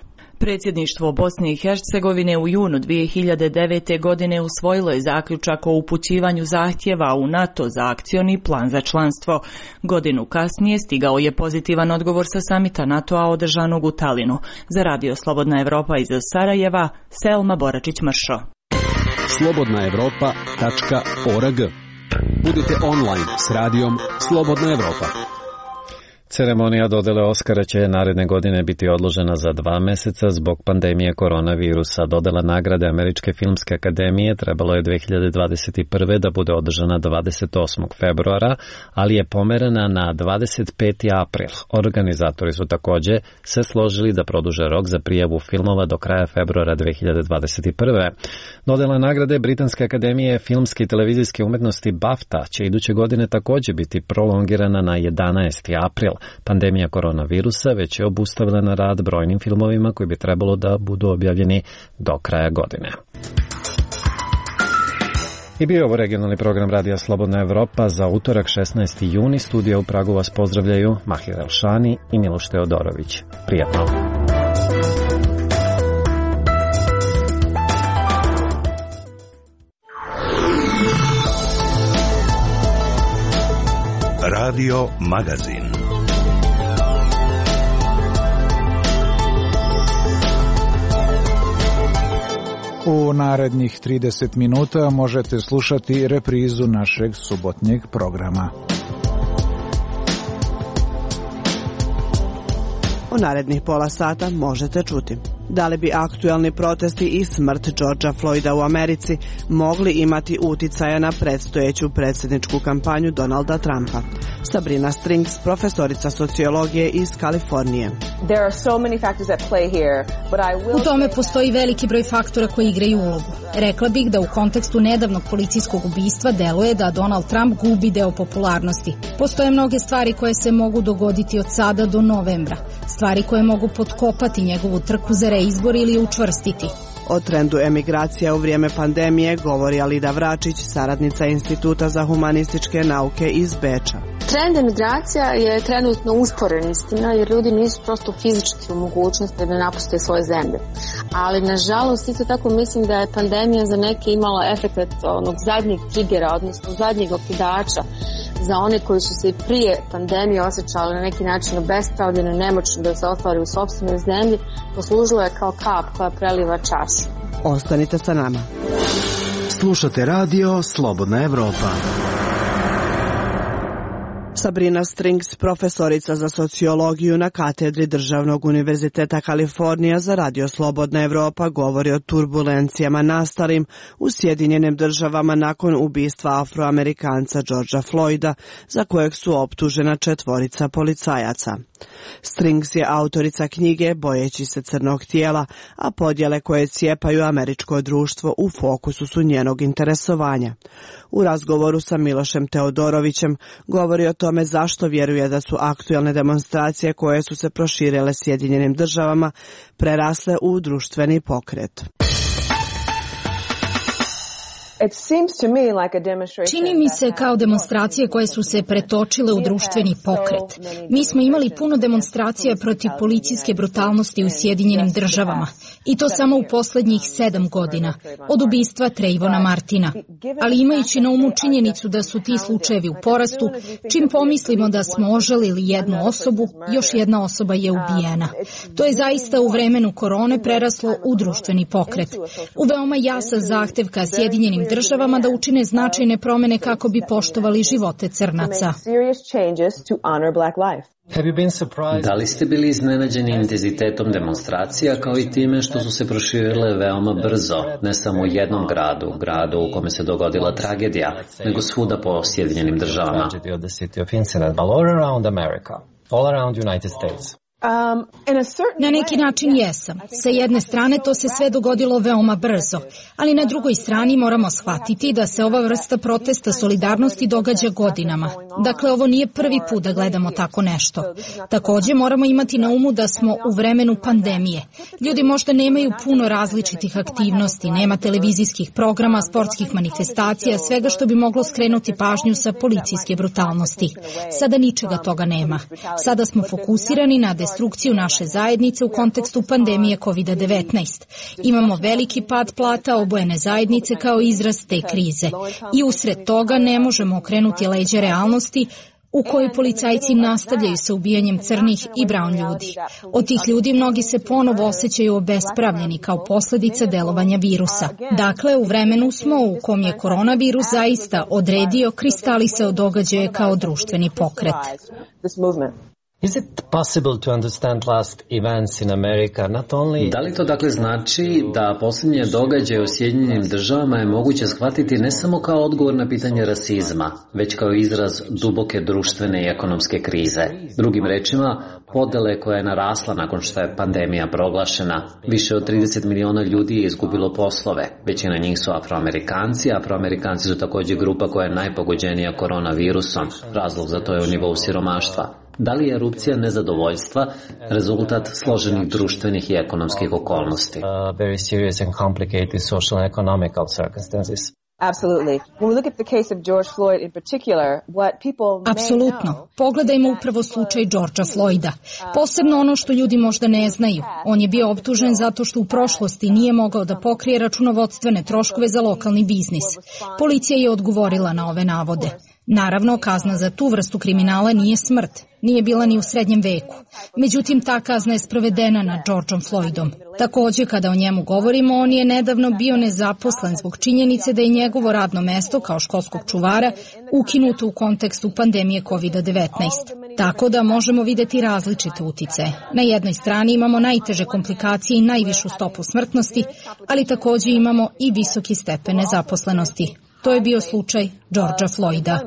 Speaker 3: Predsjedništvo Bosne i Hercegovine u junu dvije hiljade devete. godine usvojilo je zaključak o upućivanju zahtjeva u NATO za akcioni plan za članstvo. Godinu kasnije stigao je pozitivan odgovor sa samita NATO-a održanog u Talinu. Za Radio Slobodna Evropa iz Sarajeva, Selma Boračić-Mršo.
Speaker 13: slobodna evropa tačka org. Budite online s radijom Slobodna Evropa.
Speaker 1: Ceremonija dodele Oskara će naredne godine biti odložena za dva meseca zbog pandemije koronavirusa. Dodela nagrade Američke filmske akademije trebalo je dve hiljade dvadeset prve. da bude održana dvadeset osmog februara, ali je pomerena na dvadeset peti april. Organizatori su takođe se složili da produže rok za prijavu filmova do kraja februara dve hiljade dvadeset prve. Dodela nagrade Britanske akademije filmske i televizijske umetnosti BAFTA će iduće godine takođe biti prolongirana na jedanaesti april. Pandemija koronavirusa već je obustavila na rad brojnim filmovima koji bi trebalo da budu objavljeni do kraja godine. I bio ovo regionalni program Radija Slobodna Evropa za utorak šesnaesti juni. Studija u Pragu vas pozdravljaju Mahir Elšani i Miloš Teodorović. Prijatno!
Speaker 7: Radio Magazin.
Speaker 2: U narednih trideset minuta možete slušati reprizu našeg subotnjeg programa.
Speaker 8: U narednih pola sata možete čuti da li bi aktuelni protesti i smrt Georgea Floyda u Americi mogli imati uticaja na predstojeću predsjedničku kampanju Donalda Trumpa. Sabrina Strings, profesorica sociologije iz Kalifornije.
Speaker 11: U tome postoji veliki broj faktora koji igraju ulogu. Rekla bih da u kontekstu nedavnog policijskog ubistva deluje da Donald Trump gubi deo popularnosti. Postoje mnoge stvari koje se mogu dogoditi od sada do novembra. Stvari koje mogu potkopati njegovu trku za reizbor ili učvrstiti.
Speaker 8: O trendu emigracija u vrijeme pandemije govori Alida Vračić, saradnica Instituta za humanističke nauke iz Beča.
Speaker 12: Trend emigracija je trenutno usporen, istina, jer ljudi nisu prosto fizički u mogućnosti da napuste svoje zemlje. Ali, nažalost, isto tako mislim da je pandemija za neke imala efekt onog zadnjeg trigera, odnosno zadnjeg okidača za one koji su se i prije pandemije osjećali na neki način obespravljeno, nemoćno da se ostvari u sopstvenoj zemlji, poslužilo je kao kap koja preliva čašu.
Speaker 8: Ostanite sa nama.
Speaker 15: Slušate radio Slobodna Evropa.
Speaker 8: Sabrina Strings, profesorica za sociologiju na katedri Državnog univerziteta Kalifornija za Radio Slobodna Evropa, govori o turbulencijama nastalim u Sjedinjenim državama nakon ubistva Afroamerikanca Georgea Floyda, za kojeg su optužena četvorica policajaca. Strings je autorica knjige Bojeći se crnog tijela, a podjele koje cijepaju američko društvo u fokusu su njenog interesovanja. U razgovoru sa Milošem Teodorovićem govori o tome zašto vjeruje da su aktuelne demonstracije koje su se proširile Sjedinjenim državama prerasle u društveni pokret.
Speaker 11: Čini mi se kao demonstracije koje su se pretočile u društveni pokret. Mi smo imali puno demonstracija protiv policijske brutalnosti u Sjedinjenim državama. I to samo u posljednjih sedam godina, od ubistva Trayvona Martina. Ali imajući na umu činjenicu da su ti slučajevi u porastu, čim pomislimo da smo ožalili jednu osobu, još jedna osoba je ubijena. To je zaista u vremenu korone preraslo u društveni pokret. U veoma jasan zahtev ka Sjedinjenim državama da učine značajne promjene kako bi poštovali živote crnaca.
Speaker 1: Da li ste bili iznenađeni intenzitetom demonstracija kao i time što su se proširile veoma brzo, ne samo u jednom gradu, gradu u kome se dogodila tragedija, nego svuda po Sjedinjenim državama?
Speaker 11: Na neki način jesam. Sa jedne strane to se sve dogodilo veoma brzo, ali na drugoj strani moramo shvatiti da se ova vrsta protesta solidarnosti događa godinama. Dakle, ovo nije prvi put da gledamo tako nešto. Također moramo imati na umu da smo u vremenu pandemije. Ljudi možda nemaju puno različitih aktivnosti, nema televizijskih programa, sportskih manifestacija, svega što bi moglo skrenuti pažnju sa policijske brutalnosti. Sada ničega toga nema. Sada smo fokusirani na destrukciju naše zajednice u kontekstu pandemije kovid devetnaest. Imamo veliki pad plata obojene zajednice kao izraz te krize. I usred toga ne možemo okrenuti leđa realnosti u kojoj policajci nastavljaju sa ubijanjem crnih i brown ljudi. Od tih ljudi mnogi se ponovo osjećaju obespravljeni kao posljedica delovanja virusa. Dakle, u vremenu smo u kom je koronavirus zaista odredio kristalisao događaje kao društveni pokret.
Speaker 1: Is it possible to understand last events in America not only... Da li to dakle znači da posljednje događaje u Sjedinjenim državama je moguće shvatiti ne samo kao odgovor na pitanje rasizma, već kao izraz duboke društvene i ekonomske krize. Drugim rečima, podele koja je narasla nakon što je pandemija proglašena. Više od trideset miliona ljudi je izgubilo poslove. Većina njih su Afroamerikanci, a Afroamerikanci su također grupa koja je najpogođenija koronavirusom. Razlog za to je u nivou siromaštva. Da li je erupcija nezadovoljstva rezultat složenih društvenih i ekonomskih okolnosti? Uh, very serious and complicated social and economical circumstances.
Speaker 14: Absolutely. When we look at the case of George Floyd in particular, what people
Speaker 11: Apsolutno. Pogledajmo upravo slučaj Georgea Floyda. Posebno ono što ljudi možda ne znaju. On je bio optužen zato što u prošlosti nije mogao da pokrije računovodstvene troškove za lokalni biznis. Policija je odgovorila na ove navode. Naravno, kazna za tu vrstu kriminala nije smrt. Nije bila ni u srednjem veku. Međutim, ta kazna je sprovedena nad Georgeom Floydom. Također, kada o njemu govorimo, on je nedavno bio nezaposlen zbog činjenice da je njegovo radno mesto kao školskog čuvara ukinuto u kontekstu pandemije kovid devetnaest. Tako da možemo vidjeti različite uticaje. Na jednoj strani imamo najteže komplikacije i najvišu stopu smrtnosti, ali također imamo i visoki stepen nezaposlenosti. To je bio slučaj Georgea Floyda.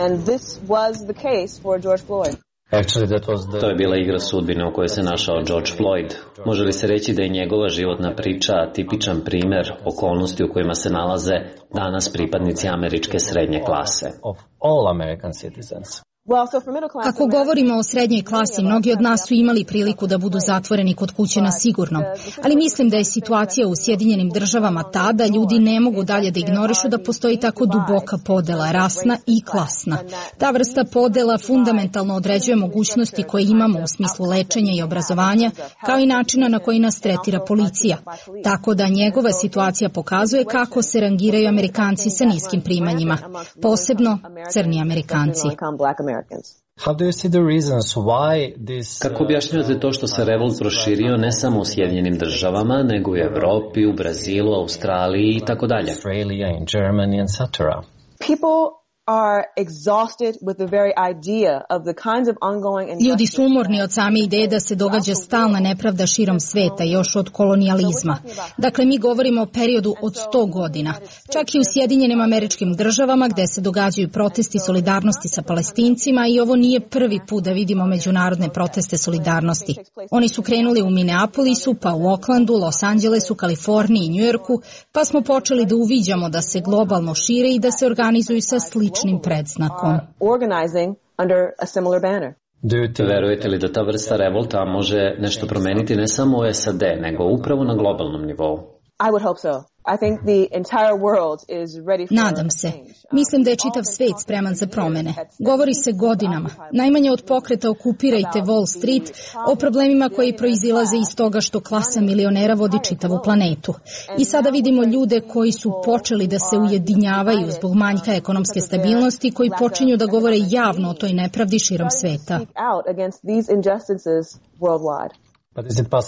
Speaker 14: And this was the case for George Floyd.
Speaker 1: To je bila igra sudbine u kojoj se našao George Floyd. Može li se reći da je njegova životna priča tipičan primjer okolnosti u kojima se nalaze danas pripadnici američke srednje klase?
Speaker 11: Ako govorimo o srednjoj klasi, mnogi od nas su imali priliku da budu zatvoreni kod kuće na sigurno, ali mislim da je situacija u Sjedinjenim državama ta da ljudi ne mogu dalje da ignorišu da postoji tako duboka podela, rasna i klasna. Ta vrsta podela fundamentalno određuje mogućnosti koje imamo u smislu lečenja i obrazovanja, kao i načina na koji nas tretira policija. Tako da njegova situacija pokazuje kako se rangiraju Amerikanci sa niskim primanjima, posebno crni Amerikanci.
Speaker 1: Kako objašnjavate to što se revolt proširio ne samo u Sjedinjenim državama, nego i u Evropi, u Brazilu, Australiji i tako dalje?
Speaker 14: are exhausted with the very idea of the kinds of ongoing injustice.
Speaker 11: Ljudi su umorni od same ideje da se događa stalna nepravda širom sveta, još od kolonijalizma. Dakle, mi govorimo o periodu od sto godina. Čak i u Sjedinjenim Američkim Državama, gde se događaju protesti solidarnosti sa Palestincima, i ovo nije prvi put da vidimo međunarodne proteste solidarnosti. Oni su krenuli u Minneapolisu, pa u Oaklandu, Los Angelesu, Kaliforniji i Njujorku, pa smo počeli da uviđamo da se globalno šire i da se organizuju sa sličnim predznakom.
Speaker 1: Verujete li da ta vrsta revolta može nešto promeniti ne samo u S A D, nego upravo na globalnom nivou?
Speaker 14: I would hope so. I think the entire world is ready for
Speaker 11: Nadam se. Mislim da je čitav svet spreman za promene. Govori se godinama. Najmanje od pokreta Okupirajte Wall Street o problemima koji proizilaze iz toga što klasa milionera vodi čitavu planetu. I sada vidimo ljude koji su počeli da se ujedinjavaju zbog manjka ekonomske stabilnosti, koji počinju da govore javno o toj nepravdi širom sveta.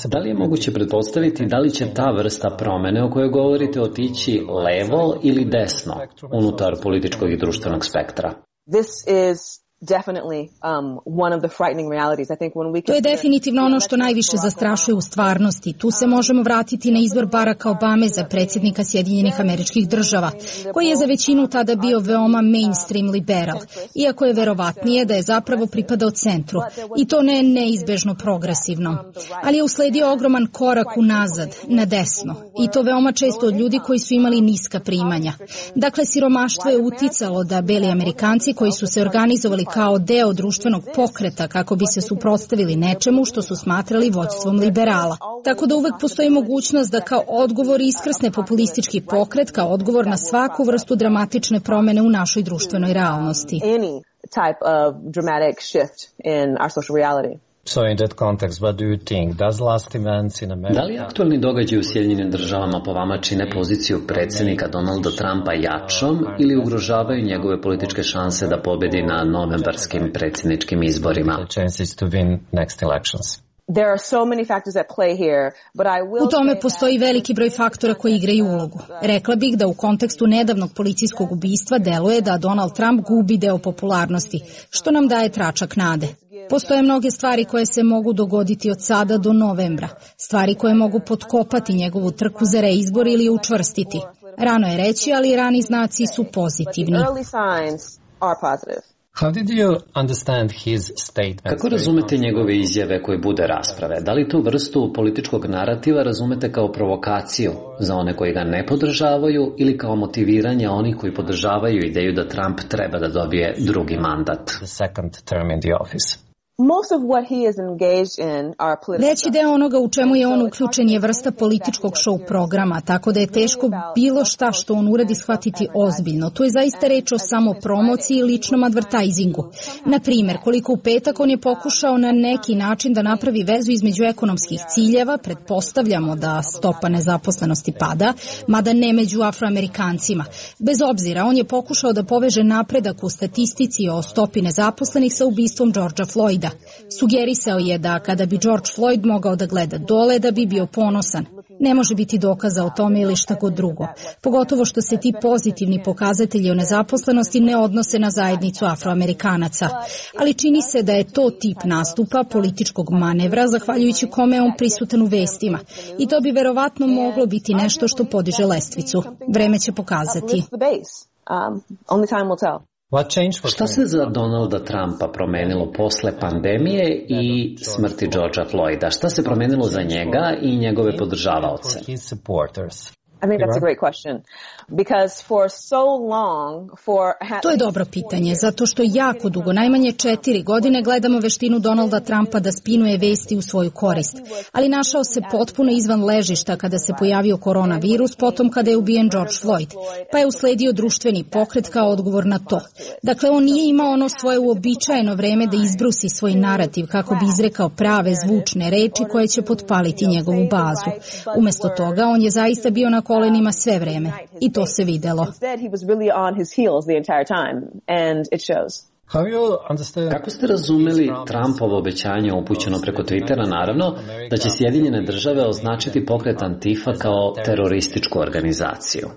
Speaker 1: Da li je moguće pretpostaviti da li će ta vrsta promene o kojoj govorite otići levo ili desno unutar političkog i društvenog spektra?
Speaker 14: This is definitely um, one of the frightening realities. I think when we
Speaker 11: To je definitivno ono što najviše zastrašuje u stvarnosti. Tu se možemo vratiti na izbor Baracka Obame za predsjednika Sjedinjenih Američkih Država, koji je za većinu tada bio veoma mainstream liberal, iako je verovatnije da je zapravo pripadao centru, i to ne neizbežno progresivno. Ali je usledio ogroman korak unazad, na desno, i to veoma često od ljudi koji su imali niska primanja. Dakle, siromaštvo je uticalo da beli Amerikanci koji su se organizovali kao deo društvenog pokreta kako bi se suprotstavili nečemu što su smatrali vođstvom liberala. Tako da uvek postoji mogućnost da kao odgovor iskrsne populistički pokret, kao odgovor na svaku vrstu dramatične promene u našoj društvenoj realnosti.
Speaker 14: type of dramatic shift in our social reality.
Speaker 1: So in that context, what do you think? Does last events in America... Da li aktualni događaj u Sjedinjenim Državama po vama čine poziciju predsjednika Donalda Trumpa jačom ili ugrožavaju njegove političke šanse da pobedi na novembarskim predsjedničkim izborima? Chances to win next elections.
Speaker 14: There are so many factors at play here, but I will
Speaker 11: U tome postoji veliki broj faktora koji igraju ulogu. Rekla bih da u kontekstu nedavnog policijskog ubistva deluje da Donald Trump gubi deo popularnosti, što nam daje tračak nade. Postoje mnoge stvari koje se mogu dogoditi od sada do novembra, stvari koje mogu potkopati njegovu trku za reizbor ili učvrstiti. Rano je reći, ali rani znaci su pozitivni.
Speaker 1: Kako razumete njegove izjave koje bude rasprave? Da li tu vrstu političkog narativa razumete kao provokaciju za one koji ga ne podržavaju ili kao motiviranje onih koji podržavaju ideju da Trump treba da dobije drugi mandat?
Speaker 11: Veći deo onoga u čemu je on uključen je vrsta političkog show programa, tako da je teško bilo šta što on uradi shvatiti ozbiljno. To je zaista reč o samopromociji i ličnom advertisingu. Na primjer, koliko u petak on je pokušao na neki način da napravi vezu između ekonomskih ciljeva, pretpostavljamo da stopa nezaposlenosti pada, mada ne među Afroamerikancima. Bez obzira, on je pokušao da poveže napredak u statistici o stopi nezaposlenih sa ubistvom Georgea Floyda. Sugerisao je da kada bi George Floyd mogao da gleda dole, da bi bio ponosan. Ne može biti dokaza o tome ili šta god drugo. Pogotovo što se ti pozitivni pokazatelji o nezaposlenosti ne odnose na zajednicu Afroamerikanaca. Ali čini se da je to tip nastupa, političkog manevra, zahvaljujući kome je on prisutan u vestima. I to bi verovatno moglo biti nešto što podiže lestvicu. Vreme će pokazati.
Speaker 1: Šta se za Donalda Trumpa promenilo posle pandemije i smrti Georgea Floyda? Šta se promenilo za njega i njegove podržavaoce?
Speaker 12: I think that's a great question. Because for so long, for...
Speaker 11: To je dobro pitanje, zato što jako dugo, najmanje četiri godine, gledamo veštinu Donalda Trumpa da spinuje vesti u svoju korist. Ali našao se potpuno izvan ležišta kada se pojavio koronavirus, potom kada je ubijen George Floyd, pa je usledio društveni pokret kao odgovor na to. Dakle, on nije imao ono svoje uobičajeno vreme da izbrusi svoj narativ kako bi izrekao prave zvučne reči koje će potpaliti njegovu bazu. Umesto toga, on je zaista bio na kolenima sve vreme i to se videlo.
Speaker 1: Kako ste razumeli Trumpovo obećanje upućeno preko Twittera, naravno, da će Sjedinjene države označiti pokret Antifa kao terorističku organizaciju?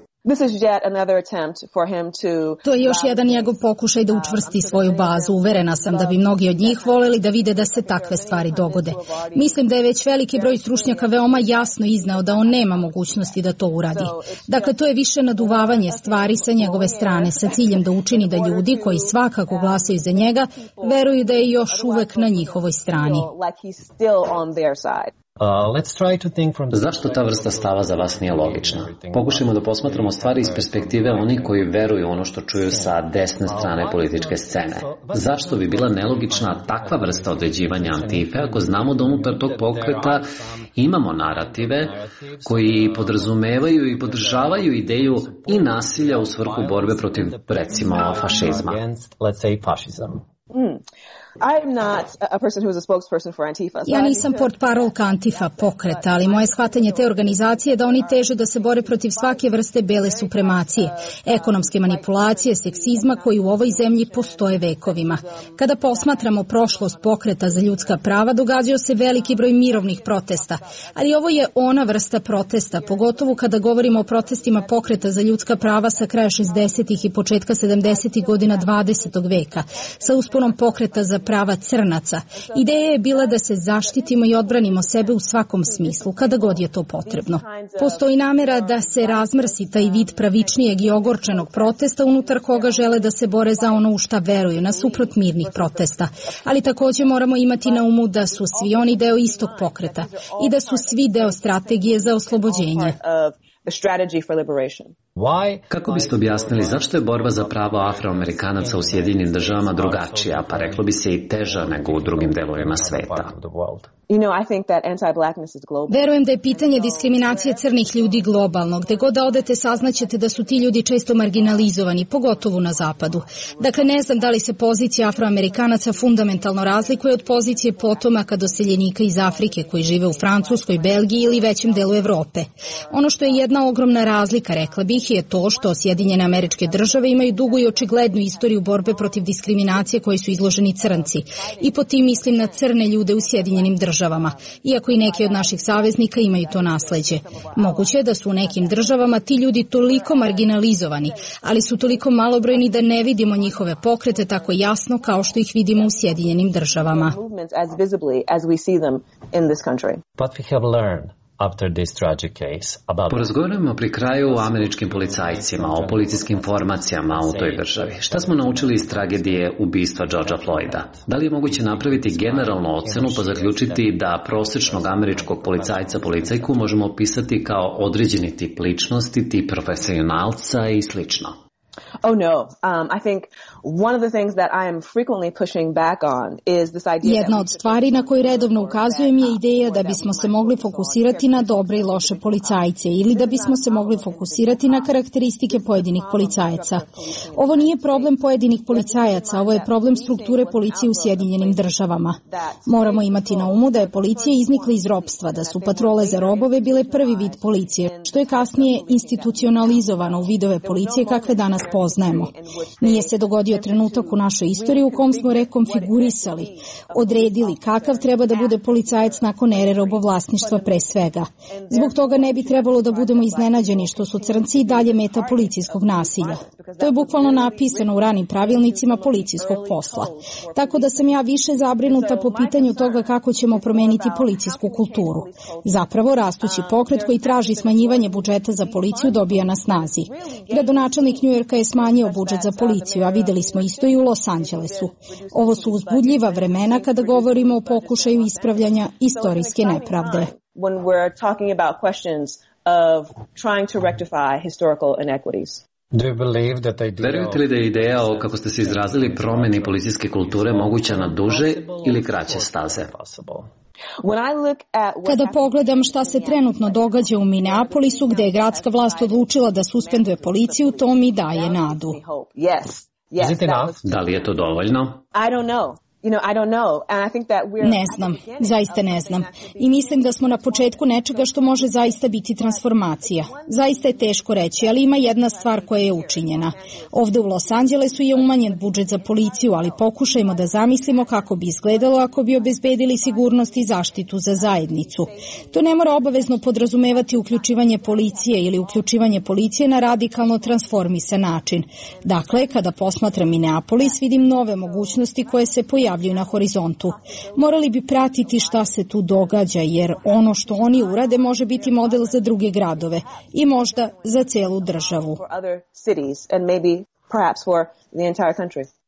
Speaker 11: To je još jedan njegov pokušaj da učvrsti svoju bazu. Uverena sam da bi mnogi od njih voleli da vide da se takve stvari dogode. Mislim da je već veliki broj stručnjaka veoma jasno izneo da on nema mogućnosti da to uradi. Dakle, to je više naduvavanje stvari sa njegove strane sa ciljem da učini da ljudi koji svakako glasaju za njega veruju da je još uvek na njihovoj strani.
Speaker 1: Uh, let's try to think from... Zašto ta vrsta stava za vas nije logična? Pokušajmo da posmatramo stvari iz perspektive onih koji veruju ono što čuju sa desne strane političke scene. Zašto bi bila nelogična takva vrsta određivanja Antife ako znamo da unutar tog pokreta imamo narative koji podrazumevaju i podržavaju ideju i nasilja u svrhu borbe protiv, recimo, fašizma?
Speaker 12: Mm. I'm not a person who is a spokesperson for Antifa.
Speaker 11: Ja nisam portparolka Antifa pokreta, ali moje shvatanje te organizacije je da oni teže da se bore protiv svake vrste bele supremacije, ekonomske manipulacije, seksizma koji u ovoj zemlji postoje vekovima. Kada posmatramo prošlost pokreta za ljudska prava, događao se veliki broj mirovnih protesta, ali ovo je ona vrsta protesta, pogotovo kada govorimo o protestima pokreta za ljudska prava sa kraja šezdesetih i početka sedamdesetih godina dvadesetog veka, sa usponom pokreta za prava crnaca. Ideja je bila da se zaštitimo i odbranimo sebe u svakom smislu, kada god je to potrebno. Postoji namera da se razmrsi taj vid pravičnijeg i ogorčenog protesta unutar koga žele da se bore za ono u šta veruju, nasuprot mirnih protesta. Ali također moramo imati na umu da su svi oni deo istog pokreta i da su svi deo strategije za oslobođenje.
Speaker 1: Kako biste objasnili zašto je borba za pravo Afroamerikanaca u Sjedinjenim državama drugačija, pa reklo bi se i teža nego u drugim delovima sveta?
Speaker 11: Verujem da je pitanje diskriminacije crnih ljudi globalno. Gde god da odete saznaćete da su ti ljudi često marginalizovani, pogotovo na zapadu. Dakle, ne znam da li se pozicija Afroamerikanaca fundamentalno razlikuje od pozicije potomaka doseljenika iz Afrike koji žive u Francuskoj, Belgiji ili većem delu Evrope. Ono što je jedna ogromna razlika, rekla bih, je to što Sjedinjene Američke Države imaju dugu i očiglednu istoriju borbe protiv diskriminacije koje su izloženi crnci. I po tim mislim na crne ljude u Sjedinjenim Državama. državama, iako i neki od naših saveznika imaju to nasleđe. Moguće je da su u nekim državama ti ljudi toliko marginalizovani, ali su toliko malobrojni da ne vidimo njihove pokrete tako jasno kao što ih vidimo u Sjedinjenim državama.
Speaker 1: What we have learned after this tragic case about...
Speaker 17: Porazgovaramo pri kraju o američkim policajcima, o policijskim formacijama u toj državi. Šta smo naučili iz tragedije ubistva Georgea Floyda? Da li je moguće napraviti generalnu ocenu pa zaključiti da prosečnog američkog policajca policajku možemo opisati kao određeni tip ličnosti, tip profesionalca i slično?
Speaker 14: Oh no, um, I think one of the things that I am frequently pushing back on is this idea.
Speaker 11: Jedna od stvari na koju redovno ukazujem je ideja da bismo se mogli fokusirati na dobre i loše policajce ili da bismo se mogli fokusirati na karakteristike pojedinih policajaca. Ovo nije problem pojedinih policajaca, ovo je problem strukture policije u Sjedinjenim državama. Moramo imati na umu da je policija iznikla iz ropstva, da su patrole za robove bile prvi vid policije, što je kasnije institucionalizovano u vidove policije kakve danas poznajemo. Nije se dogodio trenutak u našoj istoriji u kom smo rekonfigurisali, odredili kakav treba da bude policajac nakon ere robovlasništva pre svega. Zbog toga ne bi trebalo da budemo iznenađeni što su crnci i dalje meta policijskog nasilja. To je bukvalno napisano u ranim pravilnicima policijskog posla. Tako da sam ja više zabrinuta po pitanju toga kako ćemo promeniti policijsku kulturu. Zapravo, rastući pokret koji traži smanjivanje budžeta za policiju dobija na snazi. Gradonačelnik Njujorka je smanjio budžet za policiju, a videli smo isto i u Los Angelesu. Ovo su uzbudljiva vremena kada govorimo o pokušaju ispravljanja istorijske nepravde.
Speaker 14: When we're talking about questions of trying to rectify historical inequities.
Speaker 17: Verujete li da je ideja o, kako ste se izrazili, promeni policijske kulture moguća na duže ili kraće staze?
Speaker 11: Kada pogledam šta se trenutno događa u Minneapolisu, gde je gradska vlast odlučila da suspenduje policiju, to mi daje nadu.
Speaker 17: Da li je to dovoljno?
Speaker 11: Ne znam, zaista ne znam. I mislim da smo na početku nečega što može zaista biti transformacija. Zaista je teško reći, ali ima jedna stvar koja je učinjena. Ovde u Los Angelesu je umanjen budžet za policiju, ali pokušajmo da zamislimo kako bi izgledalo ako bi obezbedili sigurnost i zaštitu za zajednicu. To ne mora obavezno podrazumevati uključivanje policije ili uključivanje policije na radikalno transformisan način. Dakle, kada posmatram Minneapolis, vidim nove mogućnosti koje se pojavljaju na horizontu. Morali bi pratiti šta se tu događa, jer ono što oni urade može biti model za druge gradove i možda za celu državu.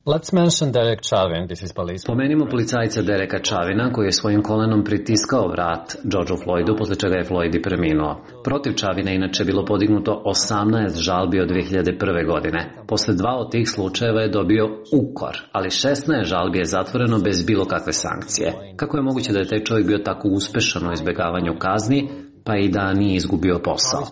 Speaker 1: Let's mention Derek Chauvin, this is police.
Speaker 17: Pomenimo policajca Dereka Chauvina koji je svojim kolenom pritiskao vrat Georgeu Floydu, posle čega je Floyd i preminuo. Protiv Chauvina inače bilo podignuto osamnaest žalbi od dve hiljade prve. godine. Posle dva od tih slučajeva je dobio ukor, ali šesnaest žalbi je zatvoreno bez bilo kakve sankcije. Kako je moguće da je taj čovjek bio tako uspešan u izbegavanju kazni, pa i da nije izgubio posao?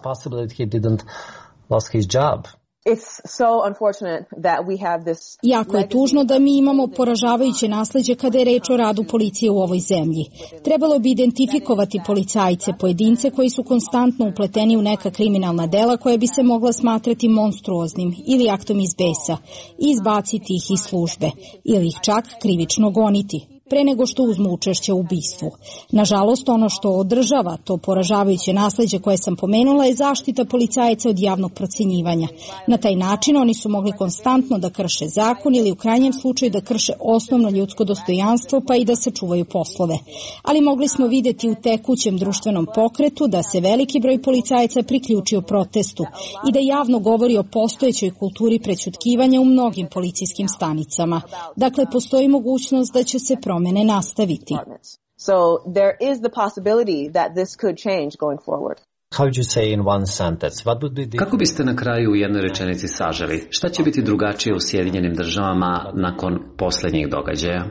Speaker 11: Jako je tužno da mi imamo poražavajuće nasleđe kada je reč o radu policije u ovoj zemlji. Trebalo bi identifikovati policajce, pojedince koji su konstantno upleteni u neka kriminalna dela koja bi se mogla smatrati monstruoznim ili aktom iz besa i izbaciti ih iz službe ili ih čak krivično goniti pre nego što uzmu učešće u ubistvu. Nažalost, ono što održava to poražavajuće nasleđe koje sam pomenula je zaštita policajaca od javnog procenjivanja. Na taj način oni su mogli konstantno da krše zakon ili u krajnjem slučaju da krše osnovno ljudsko dostojanstvo pa i da sačuvaju poslove. Ali mogli smo videti u tekućem društvenom pokretu da se veliki broj policajaca priključio protestu i da javno govori o postojećoj kulturi prećutkivanja u mnogim policijskim stanicama. Dakle, postoji mogućnost da će se promene nastaviti.
Speaker 14: So there is the possibility that this could change going forward.
Speaker 1: How would you say in one sentence? What would be the...
Speaker 17: Kako biste na kraju u jednoj rečenici saželi? Šta će biti drugačije u Sjedinjenim državama nakon poslednjih događaja?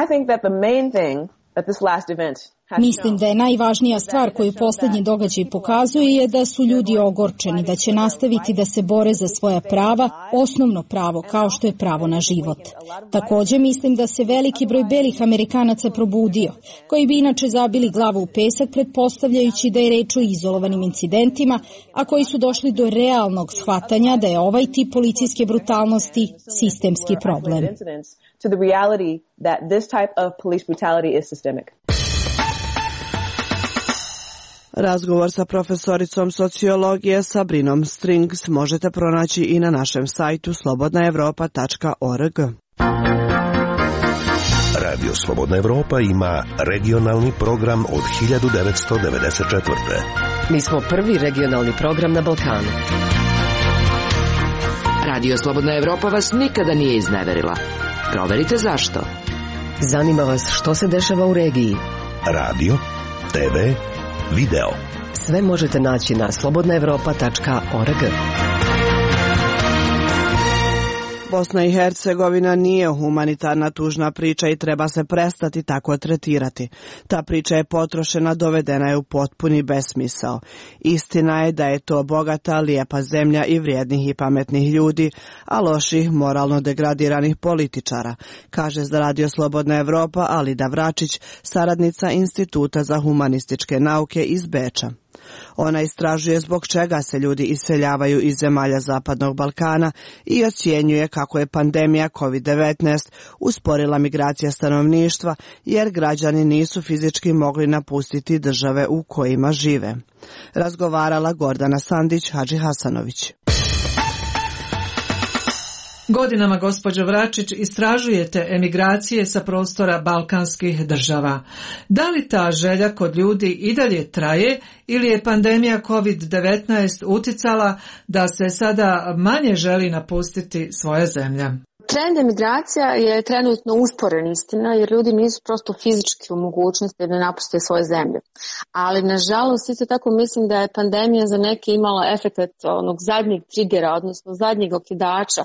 Speaker 14: I think that the main thing that this last event
Speaker 11: Mislim da je najvažnija stvar koju posljednji događaj pokazuje je da su ljudi ogorčeni, da će nastaviti da se bore za svoja prava, osnovno pravo kao što je pravo na život. Također mislim da se veliki broj belih Amerikanaca probudio, koji bi inače zabili glavu u pesak pretpostavljajući da je reč o izolovanim incidentima, a koji su došli do realnog shvatanja da je ovaj tip policijske brutalnosti sistemski problem.
Speaker 14: To the reality that this type of police brutality is systemic.
Speaker 8: Razgovor sa profesoricom sociologije Sabrinom Strings možete pronaći i na našem sajtu slobodna evropa tačka org.
Speaker 7: Radio Slobodna Evropa ima regionalni program od hiljadu devetsto devedeset četvrte.
Speaker 9: Mi smo prvi regionalni program na Balkanu.
Speaker 18: Radio Slobodna Evropa vas nikada nije izneverila. Proverite zašto.
Speaker 9: Zanima vas što se dešava u regiji.
Speaker 7: Radio, te ve, video.
Speaker 9: Sve možete naći na slobodna evropa tačka org.
Speaker 8: Bosna i Hercegovina nije humanitarna tužna priča i treba se prestati tako tretirati. Ta priča je potrošena, dovedena je u potpuni besmisao. Istina je da je to bogata, lijepa zemlja i vrijednih i pametnih ljudi, a loših, moralno degradiranih političara, kaže za Radio Slobodna Evropa Alida Vračić, saradnica Instituta za humanističke nauke iz Beča. Ona istražuje zbog čega se ljudi iseljavaju iz zemalja Zapadnog Balkana i ocjenjuje kako je pandemija kovid devetnaest usporila migracija stanovništva jer građani nisu fizički mogli napustiti države u kojima žive. Razgovarala Gordana Sandić Hadži Hasanović.
Speaker 19: Godinama, gospođo Vračić, istražujete emigracije sa prostora balkanskih država. Da li ta želja kod ljudi i dalje traje ili je pandemija kovid devetnaest uticala da se sada manje želi napustiti svoja zemlja?
Speaker 12: Trend emigracija je trenutno usporen, istina, jer ljudi nisu prosto fizički u mogućnosti da napuste svoje zemlje. Ali, nažalost, isto tako mislim da je pandemija za neke imala efekt onog zadnjeg trigera, odnosno zadnjeg okidača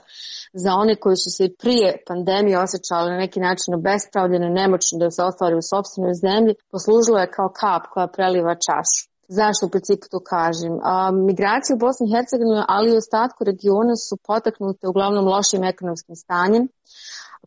Speaker 12: za one koji su se i prije pandemije osjećali na neki način obespravljene, nemoćni da se ostvari u sopstvenoj zemlji, poslužilo je kao kap koja preliva čašu. Zašto u principu to kažem? A, migracije u Bosni i Hercegovini, ali i u ostatku regiona su potaknute uglavnom lošim ekonomskim stanjem,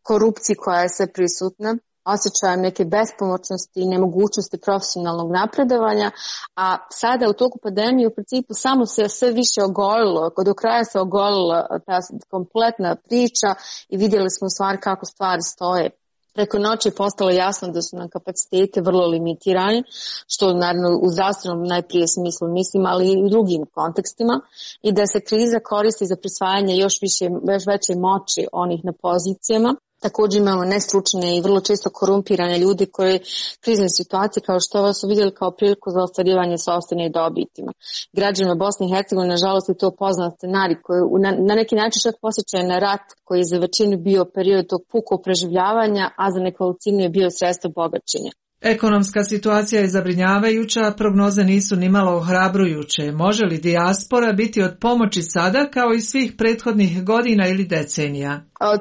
Speaker 12: korupciji koja je sve prisutna, osjećajem neke bespomoćnosti i nemogućnosti profesionalnog napredovanja, a sada u toku pandemije u principu samo se sve više ogolilo, do kraja se ogolila ta kompletna priča i vidjeli smo u stvari kako stvari stoje. Preko noći je postalo jasno da su nam kapacitete vrlo limitirani, što naravno u zdravstvenom najprije smislu mislim, ali i u drugim kontekstima, i da se kriza koristi za prisvajanje još više, još veće moći onih na pozicijama. Također imamo nestručne i vrlo često korumpirane ljude koji krizne situacije kao što ovo su vidjeli kao priliku za ostvarivanje sopstvene dobitima. Građanima Bosne i Hercegovine nažalost je to poznat scenarij koji na, na neki način čak posjeća na rat koji je za većinu bio period tog pukog preživljavanja, a za nekolicinu je bio sredstvo bogaćenja.
Speaker 19: Ekonomska situacija je zabrinjavajuća, prognoze nisu nimalo ohrabrujuće. Može li dijaspora biti od pomoći sada kao i svih prethodnih godina ili decenija?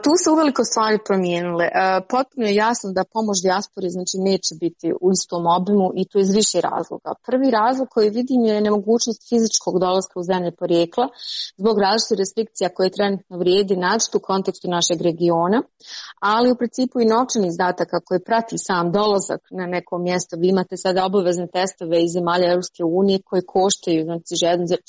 Speaker 12: Tu se uveliko stvari promijenile. Potpuno je jasno da pomoć dijaspori znači neće biti u istom obimu i to iz više razloga. Prvi razlog koji vidim je nemogućnost fizičkog dolaska u zemlje porijekla zbog različitih restrikcija koje trenutno vrijedi naročito u kontekstu našeg regiona, ali u principu i novčanih izdataka koje prati sam dolazak na neko mjesto. Vi imate sada obavezne testove iz zemalja Europske unije koje koštaju znači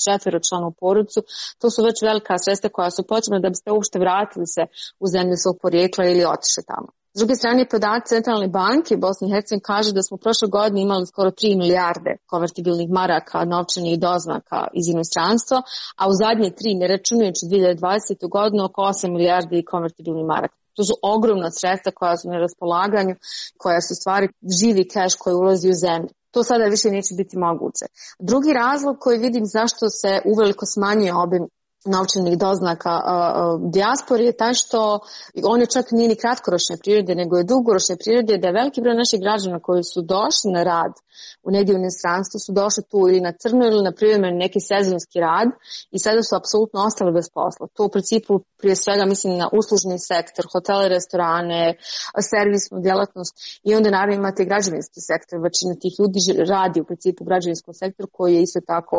Speaker 12: četveročlanu porodicu. To su već velika sredstva koja su potrebna da biste uopšte vratili se u zemlju svog porijekla ili otišli tamo. S druge strane, podaci Centralne banke Bosne i Hercegovine kaže da smo prošle godine imali skoro tri milijarde konvertibilnih maraka novčanih doznaka iz inostranstva, a u zadnje tri, ne računajući dvije hiljade dvadesete. godinu, oko osam milijardi konvertibilnih maraka. To su ogromna sredstva koja su na raspolaganju, koja su stvari živi keš koji ulazi u zemlju. To sada više neće biti moguće. Drugi razlog koji vidim zašto se uveliko smanjuje obim novčanih doznaka uh, uh, dijaspori je taj što on je čak nije ni kratkoročne prirode, nego je dugoročne prirode, da je veliki broj naših građana koji su došli na rad u negdje u inostranstvu su došli tu ili na crno ili na privremeni neki sezonski rad i sada su apsolutno ostali bez posla. To u principu prije svega mislim na uslužni sektor, hotele, restorane, servisnu djelatnost i onda naravno imate građevinski sektor. Većina tih ljudi radi u principu u građevinskom sektoru koji je isto tako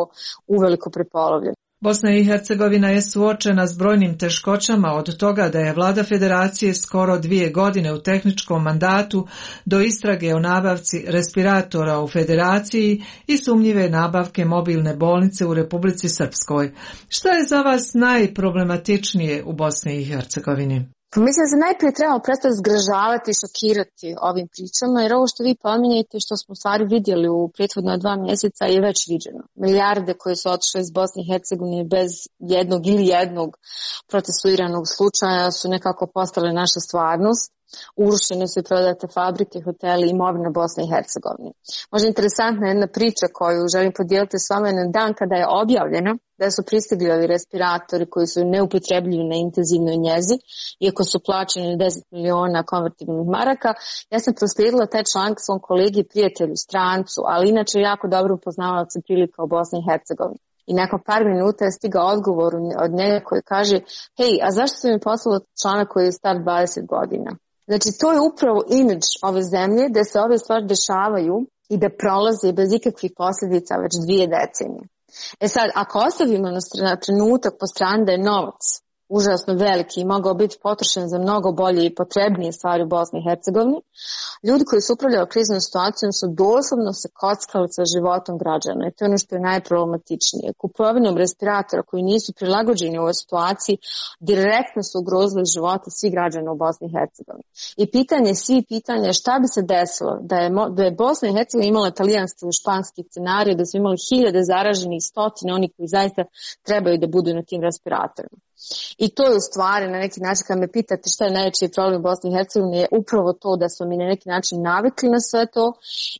Speaker 12: uveliko prepolovljen.
Speaker 19: Bosna i Hercegovina je suočena s brojnim teškoćama od toga da je vlada federacije skoro dvije godine u tehničkom mandatu do istrage o nabavci respiratora u federaciji i sumnjive nabavke mobilne bolnice u Republici Srpskoj. Šta je za vas najproblematičnije u Bosni i Hercegovini?
Speaker 12: Pa mislim da se najprije trebamo prestati zgražavati i šokirati ovim pričama, jer ovo što vi pominjete, što smo u stvari vidjeli u prethodna dva mjeseca je već viđeno. Milijarde koje su otišle iz Bosne i Hercegovine bez jednog ili jednog procesuiranog slučaja su nekako postale naša stvarnost. Urušene su i prodate fabrike, hoteli i imovina Bosne i Hercegovine. Možda interesantna jedna priča koju želim podijeliti s vama na dan kada je objavljena da su pristigli ovi respiratori koji su neupotrebljivi na intenzivnoj njezi, iako su plaćeni deset miliona konvertibilnih maraka. Ja sam proslijedila taj članak svom kolegi i prijatelju, strancu, ali inače jako dobro upoznavala se prilika u Bosni i Hercegovini. I nakon par minuta je stigao odgovor od njega koji kaže: hej, a zašto su mi poslali članak koji je star dvadeset godina? Znači, to je upravo imidž ove zemlje, da se ove stvari dešavaju i da prolaze bez ikakvih posljedica već dvije decenije. E sad, ako ostavimo na trenutak po strani da je novac užasno veliki i mogao biti potrošen za mnogo bolje i potrebnije stvari u Bosni i Hercegovini, ljudi koji su upravljali kriznom situacijom su doslovno se kockali sa životom građana i to je ono što je najproblematičnije. Kupovinom respiratora koji nisu prilagođeni u ovoj situaciji direktno su ugrozili živote svih građana u Bosni i Hercegovini. I pitanje svih pitanja je šta bi se desilo da je, da je Bosna i Hercegovina imala italijanski ili španski scenarij, da su imali hiljade zaraženih, stotine oni koji zaista trebaju da budu na tim respiratorima. I to je u stvari na neki način, kad me pitate šta je najveći problem u Bosni i Hercegovini, je upravo to da smo mi na neki način navikli na sve to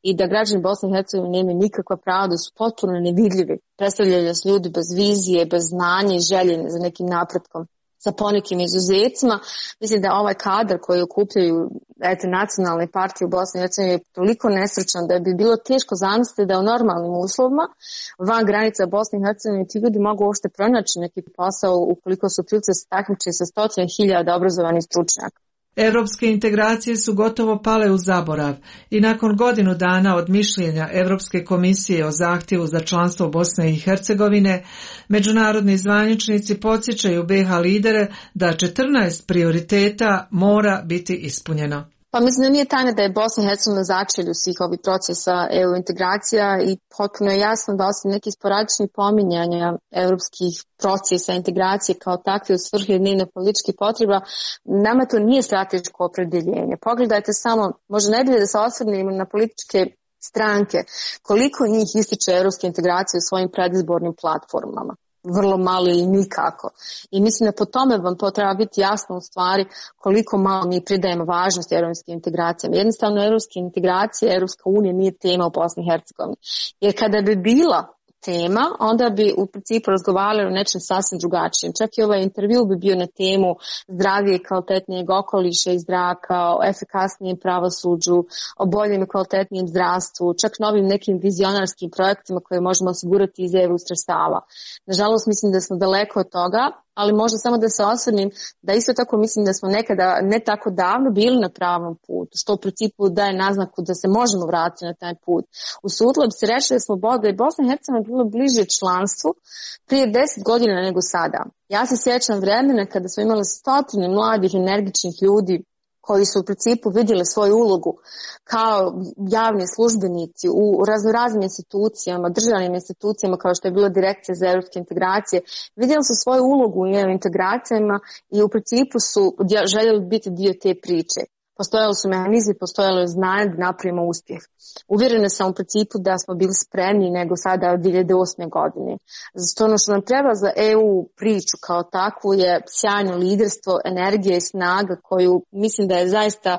Speaker 12: i da građani Bosne i Hercegovine nemaju nikakva prava, da su potpuno nevidljivi. Predstavljaju nas ljudi bez vizije, bez znanja i želje za nekim napretkom, sa ponekim izuzecima. Mislim da ovaj kadar koji okupljaju eto, nacionalne partije u Bosni i Hercegovini je toliko nesrećan da bi bilo teško zamisliti da u normalnim uslovima van granica Bosne i Hercegovine ti ljudi mogu uopšte pronaći neki posao ukoliko su prilice se takmiče sa stotine hiljada obrazovanih stručnjaka.
Speaker 19: Evropske integracije su gotovo pale u zaborav i nakon godinu dana od mišljenja Evropske komisije o zahtjevu za članstvo Bosne i Hercegovine, međunarodni zvaničnici podsjećaju be ha lidere da četrnaest prioriteta mora biti ispunjeno.
Speaker 12: Pa mislim da nije tajna da je Bosna i Hercegovina na začelju svih ovih procesa E U integracija i potpuno je jasno da osim nekih sporadičnih pominjanja europskih procesa integracije kao takve u svrhu dnevno političkih potreba, nama to nije strateško opredjeljenje. Pogledajte samo, možda najbolje da se osvrnemo na političke stranke, koliko njih ističe europske integracije u svojim predizbornim platformama. Vrlo malo ili nikako. I mislim da po tome vam to treba biti jasno u stvari koliko malo mi pridajemo važnost europskim integracijama. Jednostavno europske integracije, Europska unija nije tema u Bosni i Hercegovini. Jer kada bi bila tema, onda bi u principu razgovarali o nečem sasvim drugačijem. Čak i ovaj intervju bi bio na temu zdravije i kvalitetnijeg okoliša i zraka, o efikasnijem pravosuđu, o boljem i kvalitetnijem zdravstvu, čak novim nekim vizionarskim projektima koje možemo osigurati iz E U sredstava. Nažalost, mislim da smo daleko od toga, ali možda samo da se osvrnim da isto tako mislim da smo nekada ne tako davno bili na pravom putu, što u principu daje naznaku da se možemo vratiti na taj put. Usudilo bi se reći da smo da je Bosna i Hercegovina bilo bliže članstvu prije deset godina nego sada. Ja se sjećam vremena kada smo imali stotine mladih, energičnih ljudi koji su u principu vidjeli svoju ulogu kao javni službenici u raznoraznim institucijama, državnim institucijama kao što je bila Direkcija za europske integracije, vidjeli su svoju ulogu u integracijama i u principu su željeli biti dio te priče. Postojali su mehanizmi, postojalo je znanje da napravimo uspjeh. Uvjerena sam u principu da smo bili spremni nego sada od dvije hiljade osme godine. Zato ono što nam treba za E U priču kao takvu je sjajno liderstvo, energija i snaga koju mislim da je zaista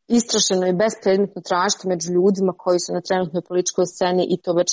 Speaker 12: istrošeno i bespredmetno tražiti među ljudima koji su na trenutnoj političkoj sceni i to već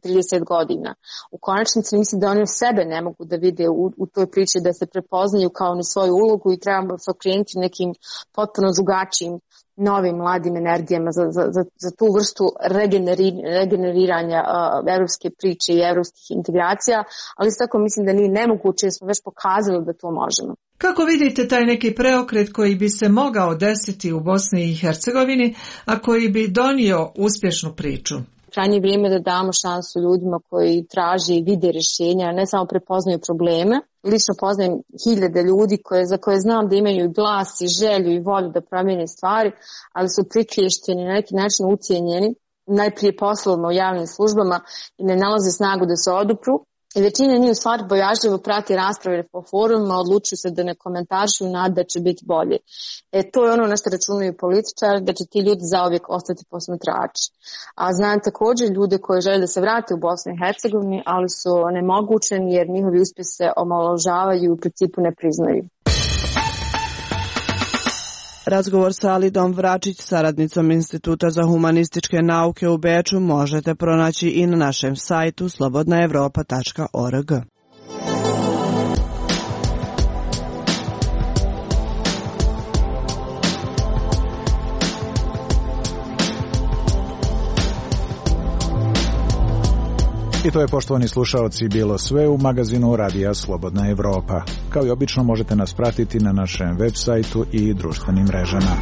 Speaker 12: trideset godina. U konačnici mislim da oni sebe ne mogu da vide u, u toj priči, da se prepoznaju kao ni svoju ulogu i trebamo se okrenuti nekim potpuno drugačijim novim mladim energijama za, za, za, za tu vrstu regeneri, regeneriranja uh, evropske priče i evropskih integracija, ali isto tako mislim da nije nemoguće jer smo već pokazali da to možemo.
Speaker 19: Kako vidite taj neki preokret koji bi se mogao desiti u Bosni i Hercegovini, a koji bi donio uspješnu priču?
Speaker 12: Krajnje vrijeme da damo šansu ljudima koji traže i vide rješenja, ne samo prepoznaju probleme. Lično poznajem hiljade ljudi koje, za koje znam da imaju glas i želju i volju da promijene stvari, ali su priklješćeni, na neki način ucijenjeni, najprije poslovno u javnim službama i ne nalaze snagu da se odupru I većina njih u stvari bojažljivo prati rasprave po forumima, odlučuju se da ne komentarišu i nada da će biti bolje. E, to je ono na što računaju političari, da će ti ljudi zauvijek ostati posmatrači. A znam također ljude koji žele da se vrate u Bosnu i Hercegovini, ali su nemogućeni jer njihovi uspjesi se omalovažavaju i u principu ne priznaju.
Speaker 8: Razgovor sa Alidom Vračić, saradnicom Instituta za humanističke nauke u Beču, možete pronaći i na našem sajtu slobodna evropa tačka org.
Speaker 2: I to je, poštovani slušaoci, bilo sve u magazinu Radija Slobodna Evropa. Kao i obično možete nas pratiti na našem web sajtu i društvenim mrežama.